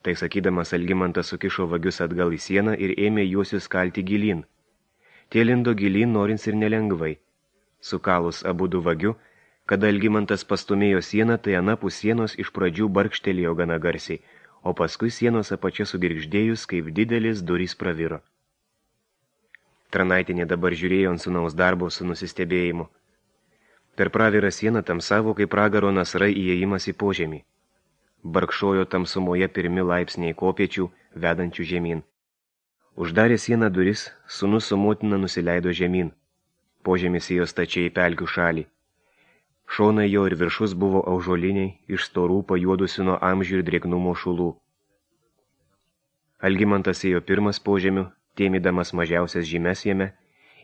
Tai sakydamas, Algimantas sukišo vagius atgal į sieną ir ėmė juosius kalti gilyn. Tie lindo gilyn norins ir nelengvai. Sukalus abudu vagiu, kada Algimantas pastumėjo sieną, tai anapus sienos iš pradžių barkštelėjo gana garsiai, o paskui sienos apačia sugirgždėjus, kaip didelis durys praviro. Tranaitinė dabar žiūrėjo ant sūnaus darbo su nusistebėjimu. Per pravirą sieną tamsavo kaip pragaro nasrai įėjimas į požemį. Barkšojo tamsumoje pirmi laipsniai kopiečių, vedančių žemyn. Uždarė sieną duris, sūnus su motina nusileido žemyn. Požemis ėjo stačiai į pelkių šalį. Šonai jo ir viršus buvo aužoliniai, iš storų pajuodusių nuo amžių ir drėgnumo šulų. Algimantas ėjo pirmas požemiu, tėmydamas mažiausias žymes jame,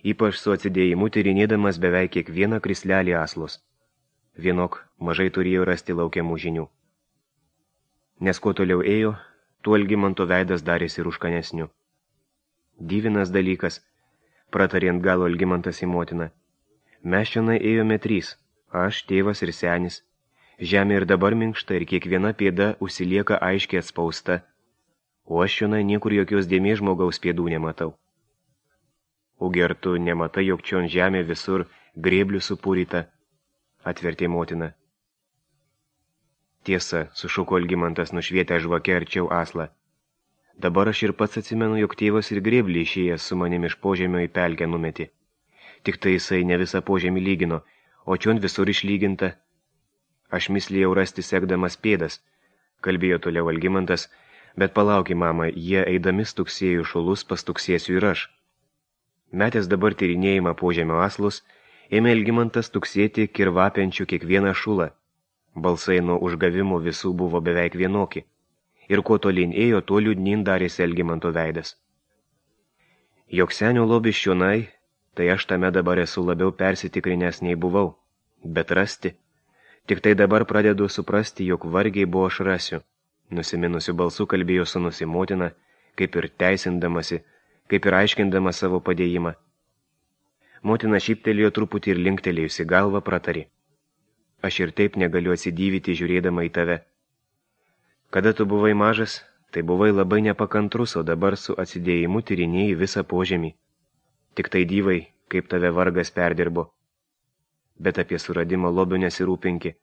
ypač su atsidėjimu tyrinėdamas beveik kiekvieną krislelį aslos. Vienok mažai turėjo rasti laukiamų žinių. Nes kuo toliau ėjo, tuo Algimanto veidas darėsi rūškanesniu. Dyvinas dalykas, pratarė ant galo Algimantas į motiną. Mes čionai ėjome 3, aš, tėvas ir senis. Žemė ir dabar minkšta ir kiekviena pėda užsilieka aiškiai atspausta, o aš čionai niekur jokios dėmės žmogaus pėdų nematau. Ugi ar tu nematai, jog čion žemė visur grėblių supūryta, atvertė motina. Tiesa, sušuko Algimantas nušvietę žvakę arčiau aslą. Dabar aš ir pats atsimenu, jog tėvas ir grėblį išėjęs su manimi iš požemio į pelkę numetė. Tik tai jisai ne visą požemį lygino, o čion visur išlyginta. Aš mislėjau rasti sekdamas pėdas, kalbėjo toliau Algimantas, bet palauki, mama, jie eidami stuksėjo šulus, pastuksėsiu ir aš. Metęs dabar tyrinėjimą požemio aslus, ėmė Algimantas tuksėti kirvapiančių kiekvieną šulą. Balsai nuo užgavimų visų buvo beveik vienoki. Ir kuo tolyn ėjo, tuo liūdnin darėsi Algimanto veidas. Jok senio lobis čionai, tai aš tame dabar esu labiau persitikrinęs nei buvau. Bet rasti. Tik tai dabar pradedu suprasti, jog vargiai buvo aš rasiu. Nusiminusiu balsu kalbėjo sūnus į motiną, kaip ir teisindamasi, kaip ir aiškindama savo padėjimą. Motina šyptelėjo truputį ir linktelėjusi galvą pratarė. Aš ir taip negaliu atsidįvyti žiūrėdama į tave. Kada tu buvai mažas, tai buvai labai nepakantrus, o dabar su atsidėjimu tyrinėjai visą požemį. Tik tai dyvai, kaip tave vargas perdirbo. Bet apie suradimą lobių nesirūpinki.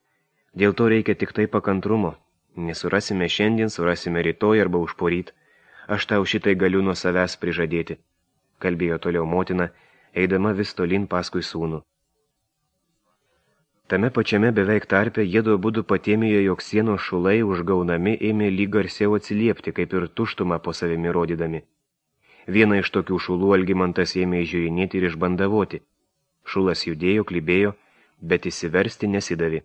Dėl to reikia tik tai pakantrumo. Nesurasime šiandien, surasime rytoj arba užporyt. Aš tau šitai galiu nuo savęs prižadėti, kalbėjo toliau motina, eidama vis tolyn paskui sūnų. Tame pačiame beveik tarpe jiedu abudu patėmėjo, jog sienos šulai užgaunami ėmė lyg garsiau atsiliepti, kaip ir tuštumą po savimi rodydami. Vieną iš tokių šulų Algimantas ėmė žiūrinėti ir išbandavoti. Šulas judėjo, klibėjo, bet įsiversti nesidavė.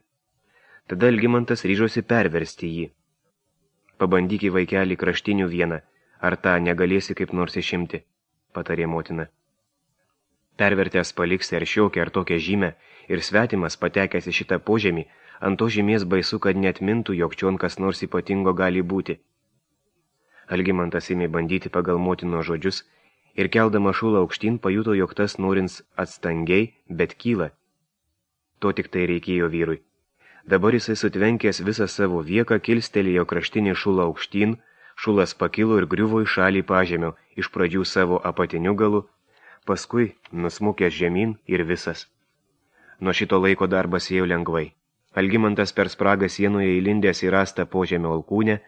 Tada Algimantas ryžosi perversti jį. Pabandyk į vaikelį kraštinių vieną, ar tą negalėsi kaip nors išimti, patarė motina. Pervertęs paliksi ar šiokią ar tokią žymę ir svetimas patekęs į šitą požemį, ant to žymės baisu, kad net mintų, jog čion kas nors ypatingo gali būti. Algimantas ėmė bandyti pagal motino žodžius ir keldama šulą aukštyn pajuto, jog tas norins atstangiai, bet kyla. To tik tai reikėjo vyrui. Dabar jisai sutvenkęs visą savo vieką kilstelėjo kraštinį šulą aukštyn, šulas pakilo ir griuvo į šalį pažemio, iš pradžių savo apatiniu galu, paskui nusmukęs žemyn ir visas. Nuo šito laiko darbas ėjo lengvai. Algimantas per spragą sienoje įlindęs į rastą požemio alkūnę,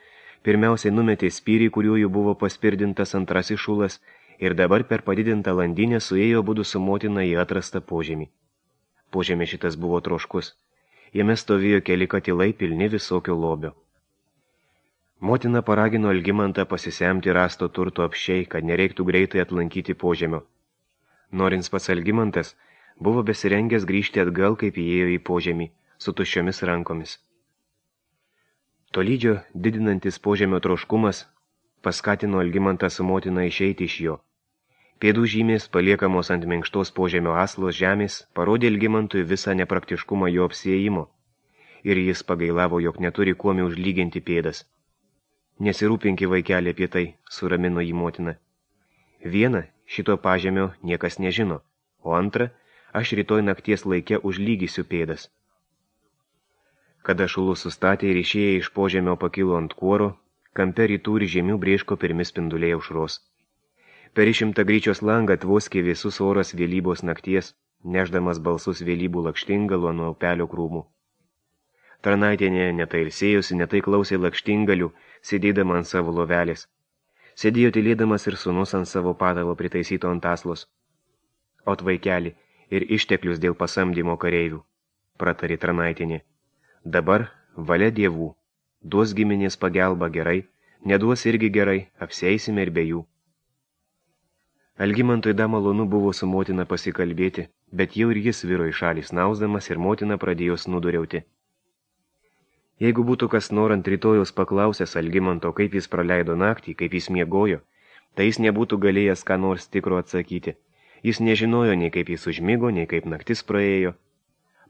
pirmiausiai numetė spyrį, kuriuo jų buvo paspirdintas antrasis šulas, ir dabar per padidintą landinę suėjo abudu su motina į atrastą požemį. Požemė šitas buvo troškus. Jame stovėjo keli katilai pilni visokio lobio. Motina paragino Algimantą pasisemti rasto turto apsčiai, kad nereiktų greitai atlankyti požemio. Norins pats Algimantas buvo besirengęs grįžti atgal, kaip įėjo į požemį, su tuščiomis rankomis. Tolydžio didinantis požemio troškumas paskatino Algimantą su motina išeiti iš jo. Pėdų žymės, paliekamos ant minkštos požemio aslos žemės, parodė Algimantui visą nepraktiškumą jo apsiėjimo, ir jis pagailavo, jog neturi kuomi užlyginti pėdas. Nesirūpinki vaikelį apie tai, suramino jį motina. Viena, šito pažemio niekas nežino, o antra, aš rytoj nakties laike užlygysiu pėdas. Kada šulus sustatė ir išėję iš požemio pakilo ant kuoro, kampe rytų ir žemių brėško pirmi spinduliai aušros. Per išimtą gryčios langą tvoskė visus oras vėlybos nakties, nešdamas balsus vėlybų lakštingalo nuo upelio krūmų. Tarnaitienė netai ilsėjosi, netai klausė lakštingalių, sėdėdama ant savo lovelės. Sėdėjo tylėdamas ir sūnus ant savo patalo pritaisyto ant aslos. Ot vaikeli ir išteklius dėl pasamdymo kareivių, pratarė tarnaitienė. Dabar valia dievų, duos giminės pagelbą gerai, Neduos irgi gerai, apsieisime ir be jų. Algimantui da malonu buvo su motina pasikalbėti, bet jau ir jis viro į šalį snausdamas ir motina pradėjo snuduriauti. Jeigu būtų kas norant rytojaus paklausęs Algimanto, kaip jis praleido naktį, kaip jis miegojo, tai jis nebūtų galėjęs ką nors tikro atsakyti. Jis nežinojo nei kaip jis užmigo, nei kaip naktis praėjo.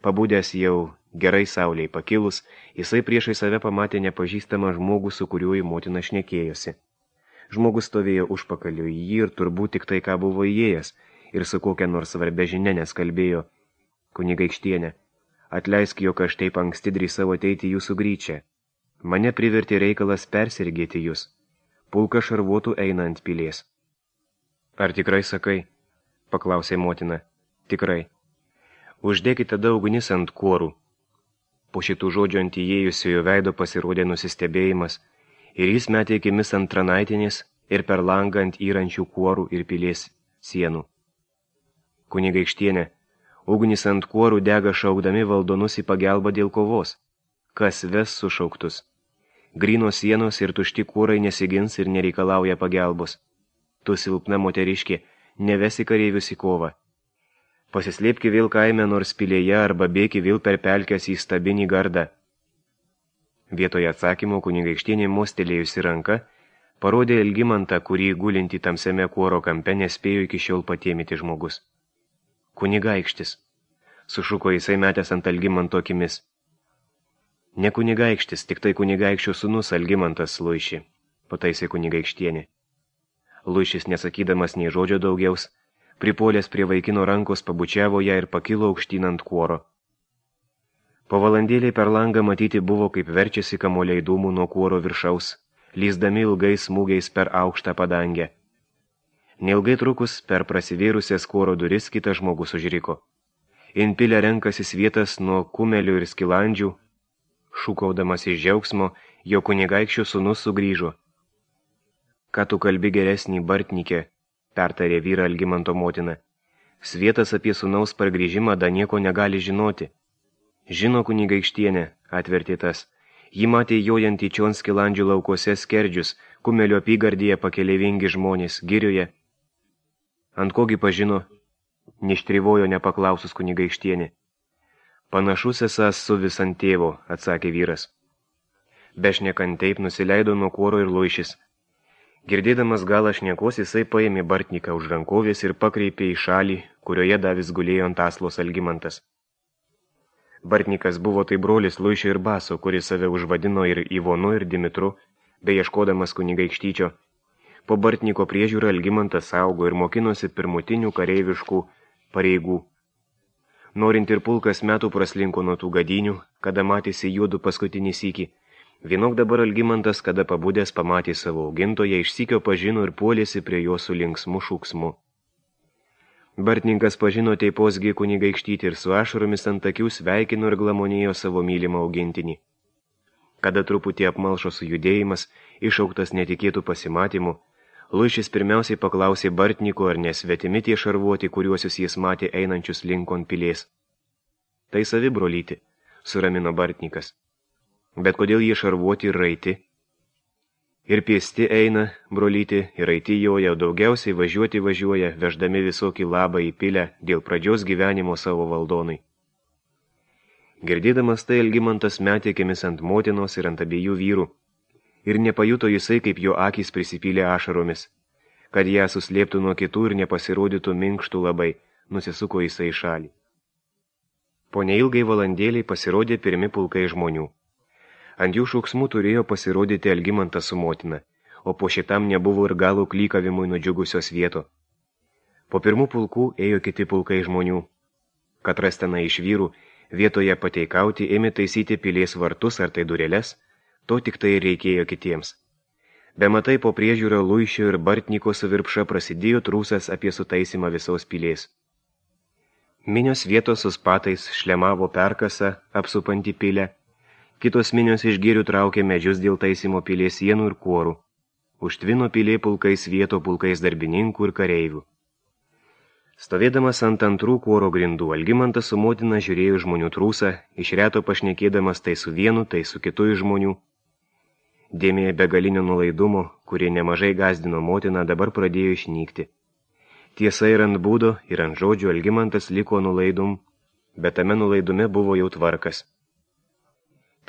Pabudęs jau gerai saulei pakilus, jisai priešai save pamatė nepažįstamą žmogų, su kuriuo į motiną šnekėjosi. Žmogus stovėjo užpakaliu į jį ir turbūt tik tai, ką buvo įėjęs, ir su kokia nors svarbia žinia neskalbėjo. Kunigaikštienė, atleisk, jog aš taip anksti drįsau ateiti jūsų gryčią. Mane privertė reikalas persirgėti jūs. Pulka šarvuotų eina ant pilies. Ar tikrai sakai? Paklausė motina. Tikrai. Uždėkite tada ugnis ant kuorų. Po šitų žodžių ant įėjusiojo veido pasirodė nusistebėjimas, ir jis metė akimis ant tranaitinės ir per langą ant įrančių kuorų ir pilies sienų. Kunigaikštienė, ugnis ant kuorų dega šaukdami valdonus į pagalbą dėl kovos. Kas ves sušauktus? Grynos sienos ir tušti kuorai nesigins ir nereikalauja pagalbos. Tu silpna moteriškė, nevesi kareivius į kovą. Pasislėpki vėl kaime nors pilėje arba bėki vėl per pelkes į stabinį gardą. Vietoje atsakymo kunigaikštienė mostelėjusi ranka parodė Algimantą, kurį gulinti tamsiame kuoro kampe nespėjo iki šiol patėmyti žmogus. Kunigaikštis, sušuko jisai metęs ant Algimanto akimis. Ne kunigaikštis, tik tai kunigaikščio sūnus Algimantas Luiši, pataisė kunigaikštienė. Luišis, nesakydamas nei žodžio daugiaus, pripolęs prie vaikino rankos pabučiavo ją ir pakilo aukštyn ant kuoro. Po valandėlį per langą matyti buvo, kaip verčiasi kamuoliai dūmų nuo kuoro viršaus, lyzdami ilgais smūgiais per aukštą padangę. Neilgai trukus per prasivėrusias kuoro duris kitas žmogus užriko. Inpilė renkasis vietas nuo kumelių ir skilandžių, šūkaudamas iš džiaugsmo, jo kunigaikščio sūnus sugrįžo. Ką tu kalbi geresnį Bartnikė, pertarė vyrą Algimanto motina. Svietas apie sūnaus pargrįžimą da nieko negali žinoti. Žino kunigaikštienė, atvertė tas. Ji matė jojant į čion skilandžių laukuose skerdžius, kumelio apygardyje pakeleivingi žmonės, girioje. Ant kogi pažino, neštrivojo nepaklausus kunigaikštienė. Panašus esas su vis ant tėvo, atsakė vyras. Bešnekant taip nusileido nuo kuoro ir Luišis. Girdėdamas galą šnekos, jisai paėmė Bartniką už rankovės ir pakreipė į šalį, kurioje davis gulėjo ant aslos Algimantas. Bartnikas buvo tai brolis Luišio ir Baso, kuris save užvadino ir Ivonu ir Dimitru, bei ieškodamas kunigaikštyčio. Po Bartniko priežiūrą Algimantas augo ir mokinosi pirmutinių kareiviškų pareigų. Norint ir pulkas metų praslinko nuo tų gadynių, kada matėsi juodu paskutinį sykį. Vienok dabar Algimantas, kada pabudęs pamatė savo augintoją, išsykio pažino ir puolėsi prie jo su linksmu šūksmu. Bartninkas pažino teiposgi kunigaikštyti ir su ašaromis ant akių sveikino ir glamonėjo savo mylimą augintinį. Kada truputį apmalšo sujudėjimas, išauktas netikėtų pasimatymų, Luišis pirmiausiai paklausė Bartniko, ar nesvetimi tie šarvuoti, kuriuosius jis matė einančius linkon pilies. Tai savi brolyti, suramino Bartnikas. Bet kodėl jie šarvuoti ir raiti? Ir pėsti eina, brolyti, ir raiti joja, daugiausiai važiuoja, veždami visokį labą į pilę dėl pradžios gyvenimo savo valdonai. Girdėdamas tai Algimantas metė akimis ant motinos ir ant abiejų vyrų, ir nepajuto jisai, kaip jo akys prisipylė ašaromis. Kad ją suslėptų nuo kitų ir nepasirodytų minkštų labai, nusisuko jisai į šalį. Po neilgai valandėliai pasirodė pirmi pulkai žmonių. Ant jų šauksmų turėjo pasirodyti Algimantas su motina, o po šitam nebuvo ir galų klykavimui nudžiugusios vieto. Po pirmų pulkų ėjo kiti pulkai žmonių. Katras tenai iš vyrų, vietoje pateikauti ėmė taisyti pilies vartus ar tai dureles, to tik tai reikėjo kitiems. Bematai po priežiūro Luišio ir Bartniko su virpša prasidėjo trūsas apie sutaisimą visos pilies. Minios vietos su spatais šlemavo perkasą, apsupantį pilę, kitos minios iš gėrių traukė medžius dėl taisymo pilies sienų ir kuorų. Užtvino pilė pulkais vieto pulkais darbininkų ir kareivių. Stovėdamas ant antrų kuoro grindų, Algimantas su motina žiūrėjo žmonių trūsą, iš reto pašnekėdamas tai su vienu, tai su kitu iš žmonių. Dėmė begalinio nulaidumo, kurie nemažai gazdino motiną, dabar pradėjo išnykti. Tiesa, ir ant būdo, ir ant žodžių Algimantas liko nulaidum, bet tame nulaidume buvo jau tvarkas.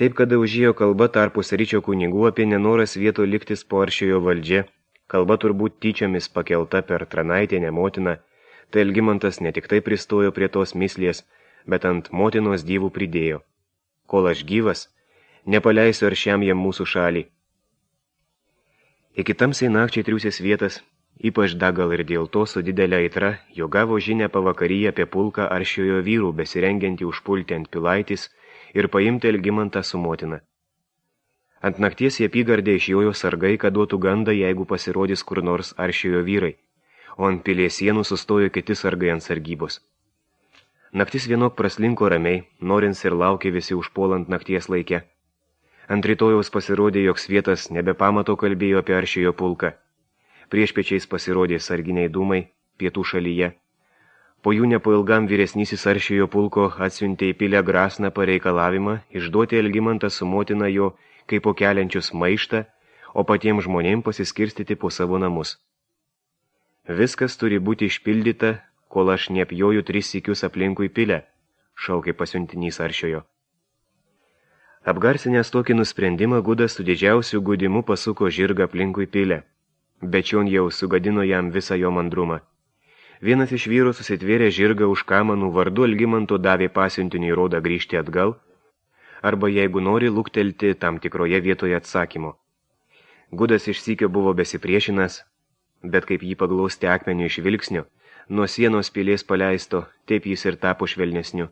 Taip, kada užėjo kalba tarpus ryčio kunigų apie nenoras vieto liktis po Aršiojo valdžia, kalba turbūt tyčiomis pakelta per Tranaitienę motiną, tai Algimantas ne tik tai pristojo prie tos mislės, bet ant motinos dievų pridėjo. Kol aš gyvas, nepaleisiu Aršiam jam mūsų šalį. Iki tamsiai nakčiai triūsės vietas, ypač dagal ir dėl to su didelė aitra, jo gavo žinę pavakaryje apie pulką Aršiojo vyrų, besirengiantį užpulti ant Pilaitis ir paimti Algimantą su motina. Ant nakties į apygardę išjojo sargai, kad duotų gandą, jeigu pasirodys kur nors Aršiojo vyrai, o ant pilies sienų sustojo kiti sargai ant sargybos. Naktis vienok praslinko ramiai, norins ir laukė visi užpuolant nakties laikę. Ant rytojaus pasirodė, jog svietas nebepamato kalbėjo apie Aršiojo pulką. Priešpečiais pasirodė sarginiai dūmai pietų šalyje. Po jų nepailgam vyresnysis Aršiojo pulko atsiuntė į pilę grasną pareikalavimą išduoti Algimantą su motina jo kaip po keliančius maištą, o patiems žmonėms pasiskirstyti po savo namus. Viskas turi būti išpildyta, kol aš neapjoju 3 sykius aplinkui pilę, šaukė pasiuntinys Aršiojo. Apgarsinęs tokį nusprendimą, Gudas su didžiausiu gudimu pasuko žirgą aplinkui pilę, bet čion jau sugadino jam visą jo mandrumą. Vienas iš vyrų susitvėrė žirgą už kamanų, vardu Algimanto davė pasiuntiniui rodą grįžti atgal, arba jeigu nori luktelti tam tikroje vietoje atsakymo. Gudas iš sykio buvo besipriešinas, bet kaip jį paglausti akmeniu iš vilksnio, nuo sienos pilies paleisto, taip jis ir tapo švelnesniu.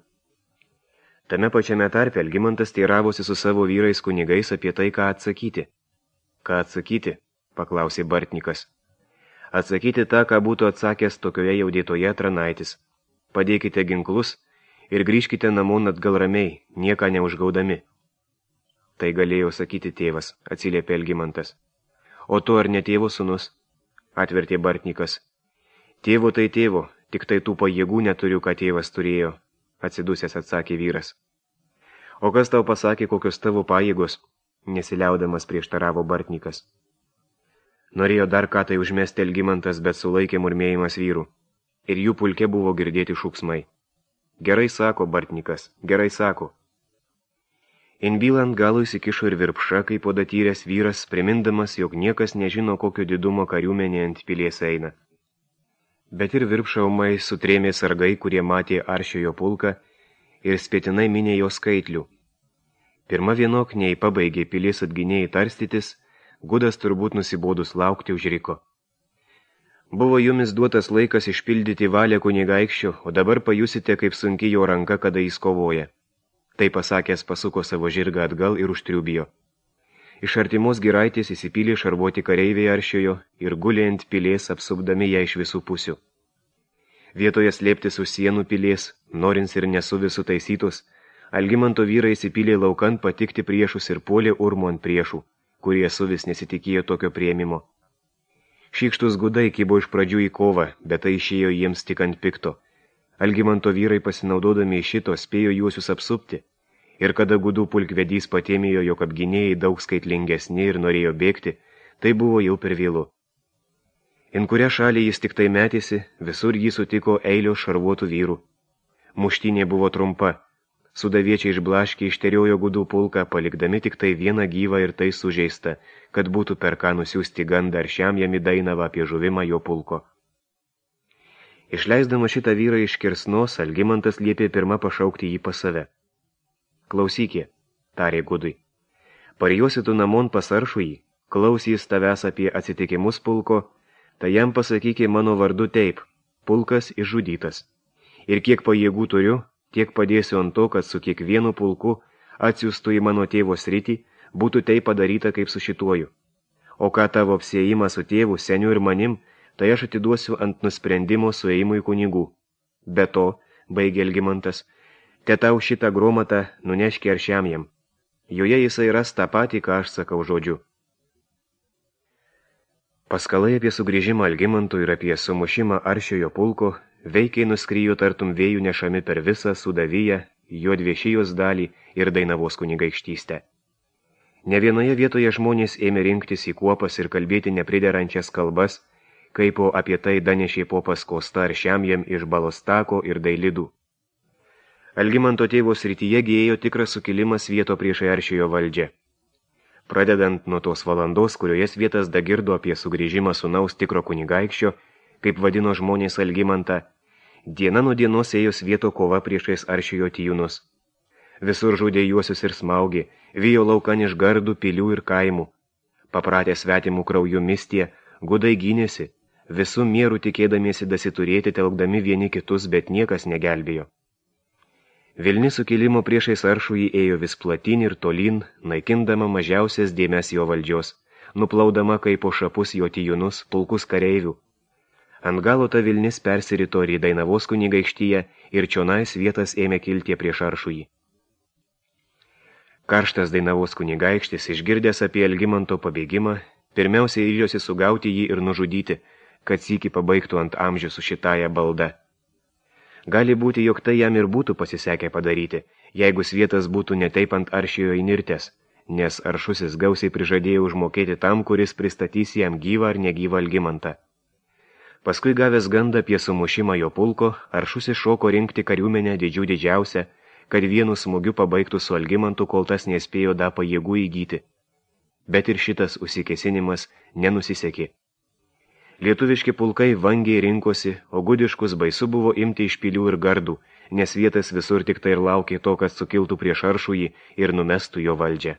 Tame pačiame tarpe Algimantas teiravosi su savo vyrais kunigais apie tai, ką atsakyti. Ką atsakyti? Paklausė Bartnikas. Atsakyti tą, ką būtų atsakęs tokioje jaudėtoje Tranaitis. Padėkite ginklus ir grįžkite namon atgal ramiai, nieką neužgaudami. Tai galėjo sakyti tėvas, atsiliepė Algimantas. O tu ar ne tėvo sūnus? Atvertė Bartnikas. Tėvo tai tėvo, tik tai tų pajėgų neturiu, ką tėvas turėjo, atsidusęs atsakė vyras. O kas tau pasakė, kokios tavo pajėgos? Nesiliaudamas prieštaravo Bartnikas. Norėjo dar ką tai užmesti Algimantas, bet sulaikė murmėjimas vyrų. Ir jų pulke buvo girdėti šūksmai. Gerai sako, Bartnikas, gerai sako. Inbylant galų įsikišo ir Virpša, kaip podatyręs vyras, primindamas, jog niekas nežino, kokio didumo kariuomenė ant pilies eina. Bet ir Virpša ūmai sutrėmė sargai, kurie matė Aršiojo pulką ir spėtinai minė jo skaitlių. Pirma vienok nei pabaigė pilies atgynėjai tarstytis, Gudas turbūt nusibodus laukti užriko. Buvo jumis duotas laikas išpildyti valią kunigaikščio, o dabar pajusite, kaip sunki jo ranka, kada jis kovoja. Tai pasakęs pasuko savo žirgą atgal ir užtriubijo. Iš artimos giraitės įsipylė šarvuoti kareiviai Aršiojo ir gulė ant pilies, apsupdami ją iš visų pusių. Vietoje slėptis už sienų pilies, norins ir nesuvi sutaisytos, Algimanto vyrai įsipylė laukan patikti priešus ir puolė urmu ant priešų, kurie suvis nesitikėjo tokio priėmimo. Šykštus gudai kibo iš pradžių į kovą, bet tai išėjo jiems tik ant pikto. Algimanto vyrai pasinaudodami iš šito spėjo juosius apsupti, ir kada gudų pulkvedys patėmėjo, jog apgynėjai daug skaitlingesni ir norėjo bėgti, tai buvo jau per vėlu. In kurią šalį jis tik tai metėsi, visur jį sutiko eilio šarvuotų vyrų. Muštynė buvo trumpa. Sudaviečiai išblaškė išteriojo gudų pulką, palikdami tik tai vieną gyvą ir tai sužeistą, kad būtų per ką nusiųsti gandą Aršiam jam į Dainavą apie žuvimą jo pulko. Išleisdama šitą vyrą iš kirsnos, Algimantas liepė pirmą pašaukti jį pas save. Klausykė, tarė Gudui. Parijosi tu namon pas Aršųjį, klausys tavęs apie atsitikimus pulko, tai jam pasakykė mano vardu taip, pulkas išžudytas. Ir kiek pajėgų turiu, tiek padėsiu ant to, kad su kiekvienu pulku atsiųstų į mano tėvo sritį, būtų tai padaryta kaip su šituoju. O ką tavo apsiejimas su tėvu, seniu ir manim, tai aš atiduosiu ant nusprendimo suėjimui kunigų. Be to, baigė Algimantas, te tau šitą gromatą nuneški Aršiam jam. Joje jisai ras tą patį, ką aš sakau žodžiu. Paskalai apie sugrįžimą Algimantų ir apie sumušimą Aršiojo pulko veikiai nuskryjo tartum vėjų nešami per visą Sudaviją, Juodviešijos dalį ir Dainavos kunigaikštystę. Ne vienoje vietoje žmonės ėmė rinktis į kuopas ir kalbėti nepriderančias kalbas, kaip apie tai danešė popas Kosta ar Šiamjem iš Balostako ir Dailidų. Algimanto tėvo srityje gėjo tikras sukilimas vieto priešai Aršiojo valdžią. Pradedant nuo tos valandos, kurioje Svietas dagirdo apie sugrįžimą sūnaus tikro kunigaikščio, kaip vadino žmonės Algimantą, diena nuo dienos ėjo Svieto kova priešais Aršiojo tijūnus. Visur žudė juosius ir smaugė, vijo laukan iš gardų, pilių ir kaimų. Papratę svetimų kraujų mistie, gudai gynėsi, visų mierų tikėdamiesi dasiturėti, telkdami vieni kitus, bet niekas negelbėjo. Vilni sukilimo priešais Aršųjį ėjo vis platyn ir tolyn, naikindama mažiausias dėmes jo valdžios, nuplaudama kaip po šapus jo tijūnus, pulkus kareivių. Ant galo ta Vilnis persirito ir į Dainavos kunigaikštyje ir čionais vietas ėmė kilti prieš Aršųjį. Karštas Dainavos kunigaikštis, išgirdęs apie Algimanto pabėgimą, pirmiausiai ryžosi sugauti jį ir nužudyti, kad sykį pabaigtų ant amžių su šitąja balda. Gali būti, jog tai jam ir būtų pasisekę padaryti, jeigu Svietas būtų netaip ant Aršiojo įnirtęs, nes Aršusis gausiai prižadėjo užmokėti tam, kuris pristatys jam gyvą ar negyvą Algimantą. Paskui gavęs gandą apie sumušimą jo pulko, Aršusis šoko rinkti kariuomenę didžiausią, kad vienu smūgiu pabaigtų su Algimantu, kol tas nespėjo da pajėgų įgyti. Bet ir šitas užsikėsinimas nenusisekė. Lietuviški pulkai vangiai rinkosi, o gudiškus baisu buvo imti iš pilių ir gardų, nes Svietas visur tik tai ir laukė to, kad sukiltų prieš Aršųjį ir numestų jo valdžią.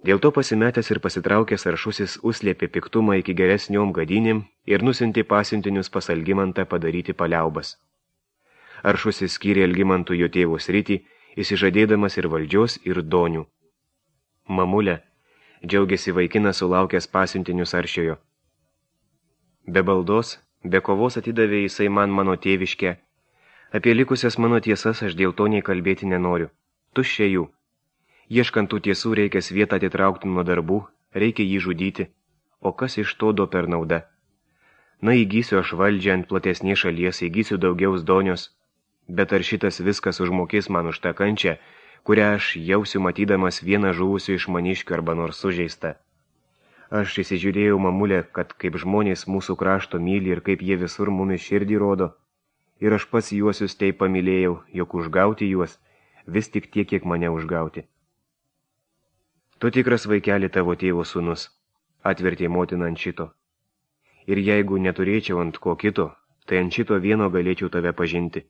Dėl to pasimetęs ir pasitraukęs Aršusis užslėpė piktumą iki geresniom gadynėm ir nusiuntė pasiuntinius pas Algimantą padaryti paliaubas. Aršusis skyrė Algimantui jo tėvo sritį, įsižadėdamas ir valdžios, ir donių. Mamulė, džiaugiasi vaikinas sulaukęs pasiuntinius Aršiojo. Be baldos, be kovos atidavė jisai man mano tėviškę. Apie likusias mano tiesas aš dėl to nei kalbėti nenoriu. Tuščia jų. Ieškant tų tiesų reikia Svietą atitraukti nuo darbų, reikia jį žudyti. O kas iš to do per nauda? Na, įgysiu aš valdžią ant platesnės šalies, įgysiu daugiau donios. Bet ar šitas viskas užmokės man už tą kančią, kurią aš jausiu matydamas vieną žuvusių iš maniškių arba nors sužeistą? Aš įsižiūrėjau, mamulė, kad kaip žmonės mūsų krašto myli ir kaip jie visur mumis širdį rodo. Ir aš pats juosius taip pamylėjau, jog užgauti juos vis tik tiek, kiek mane užgauti. Tu tikras vaikeli tavo tėvo sūnus, atvertė motina ant šito. Ir jeigu neturėčiau ant ko kito, tai ant šito vieno galėčiau tave pažinti.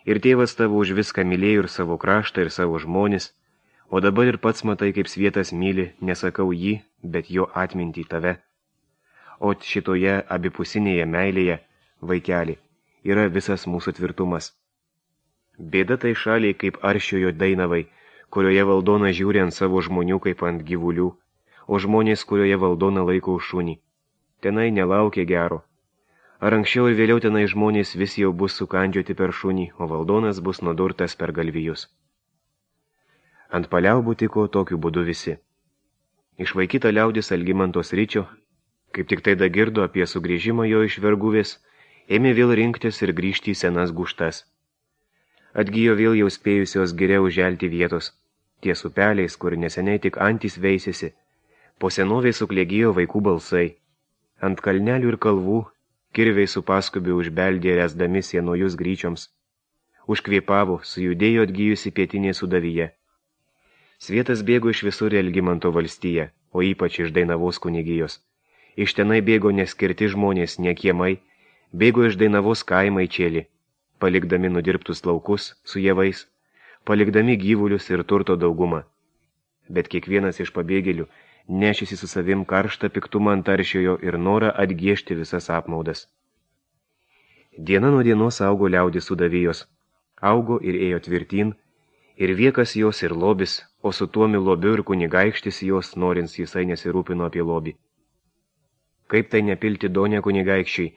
Ir tėvas tavo už viską mylėjo ir savo kraštą, ir savo žmonis, o dabar ir pats matai, kaip Svietas myli, nesakau jį, bet jo atmintį tave. O šitoje abipusinėje meilėje, vaikeli, yra visas mūsų tvirtumas. Bėda tai šaliai kaip Aršiojo Dainavai, kurioje valdona žiūri ant savo žmonių kaip ant gyvulių, o žmonės, kurioje valdona laiko už šunį. Tenai nelaukia gero. Ar anksčiau ir vėliau tenai žmonės vis jau bus sukandžioti per šunį, o valdonas bus nudurtas per galvijus. Ant paliaubų tiko tokiu būdu visi. Išvaikyta liaudis Algimanto sričio, kaip tik tai dagirdo apie sugrįžimą jo iš verguvės, ėmė vėl rinktis ir grįžti į senas gūštas. Atgijo vėl jau spėjusios geriau želti vietos, ties upeliais, kur neseniai tik antys veisėsi, po senovės suklėgijo vaikų balsai. Ant kalnelių ir kalvų kirviai su paskubiu užbeldė resdami sienojus gryčioms. Užkvėpavo, sujudėjo atgijusi pietinė sudavyje. Svietas bėgo iš visur Algimanto valstiją, o ypač iš Dainavos kunigijos. Iš tenai bėgo neskirti žmonės, ne kiemai, bėgo iš Dainavos kaimai čėlį, palikdami nudirbtus laukus su javais, palikdami gyvulius ir turto daugumą. Bet kiekvienas iš pabėgėlių nešėsi su savim karštą piktumą ant Aršiojo ir norą atgiežti visas apmaudas. Diena nuo dienos augo liaudis sudavijos, augo ir ėjo tvirtin, ir viekas jos ir lobis, o su tuomi lobiu ir kunigaikštis jos, norins jisai nesirūpino apie lobį. Kaip tai nepilti donę kunigaikščiai,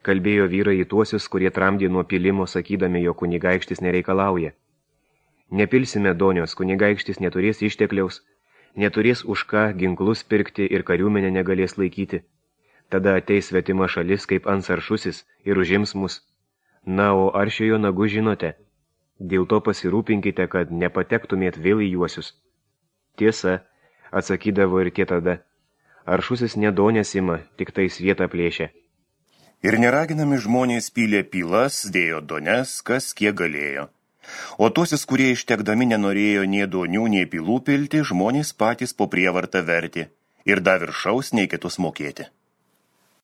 kalbėjo vyrai į tuosius, kurie tramdė nuo pilimo, sakydami, jo kunigaikštis nereikalauja. Nepilsime donios, kunigaikštis neturės ištekliaus, neturės už ką ginklus pirkti ir kariuomenę negalės laikyti. Tada ateis svetima šalis kaip Ansaršusis ir užims mus. Na, o Aršiojo nagu žinote. Dėl to pasirūpinkite, kad nepatektumėt vėl į juosius. Tiesa, atsakydavo ir tie tada. Aršusis nedonės ima, tik tais vietą plėšia. Ir neraginami žmonės pylė pylas, dėjo dones, kas kiek galėjo. O tuosis, kurie ištekdami nenorėjo nei donių, nei pylų pilti, žmonės patys po prievartą vertė ir dar viršaus nei kitus mokėti.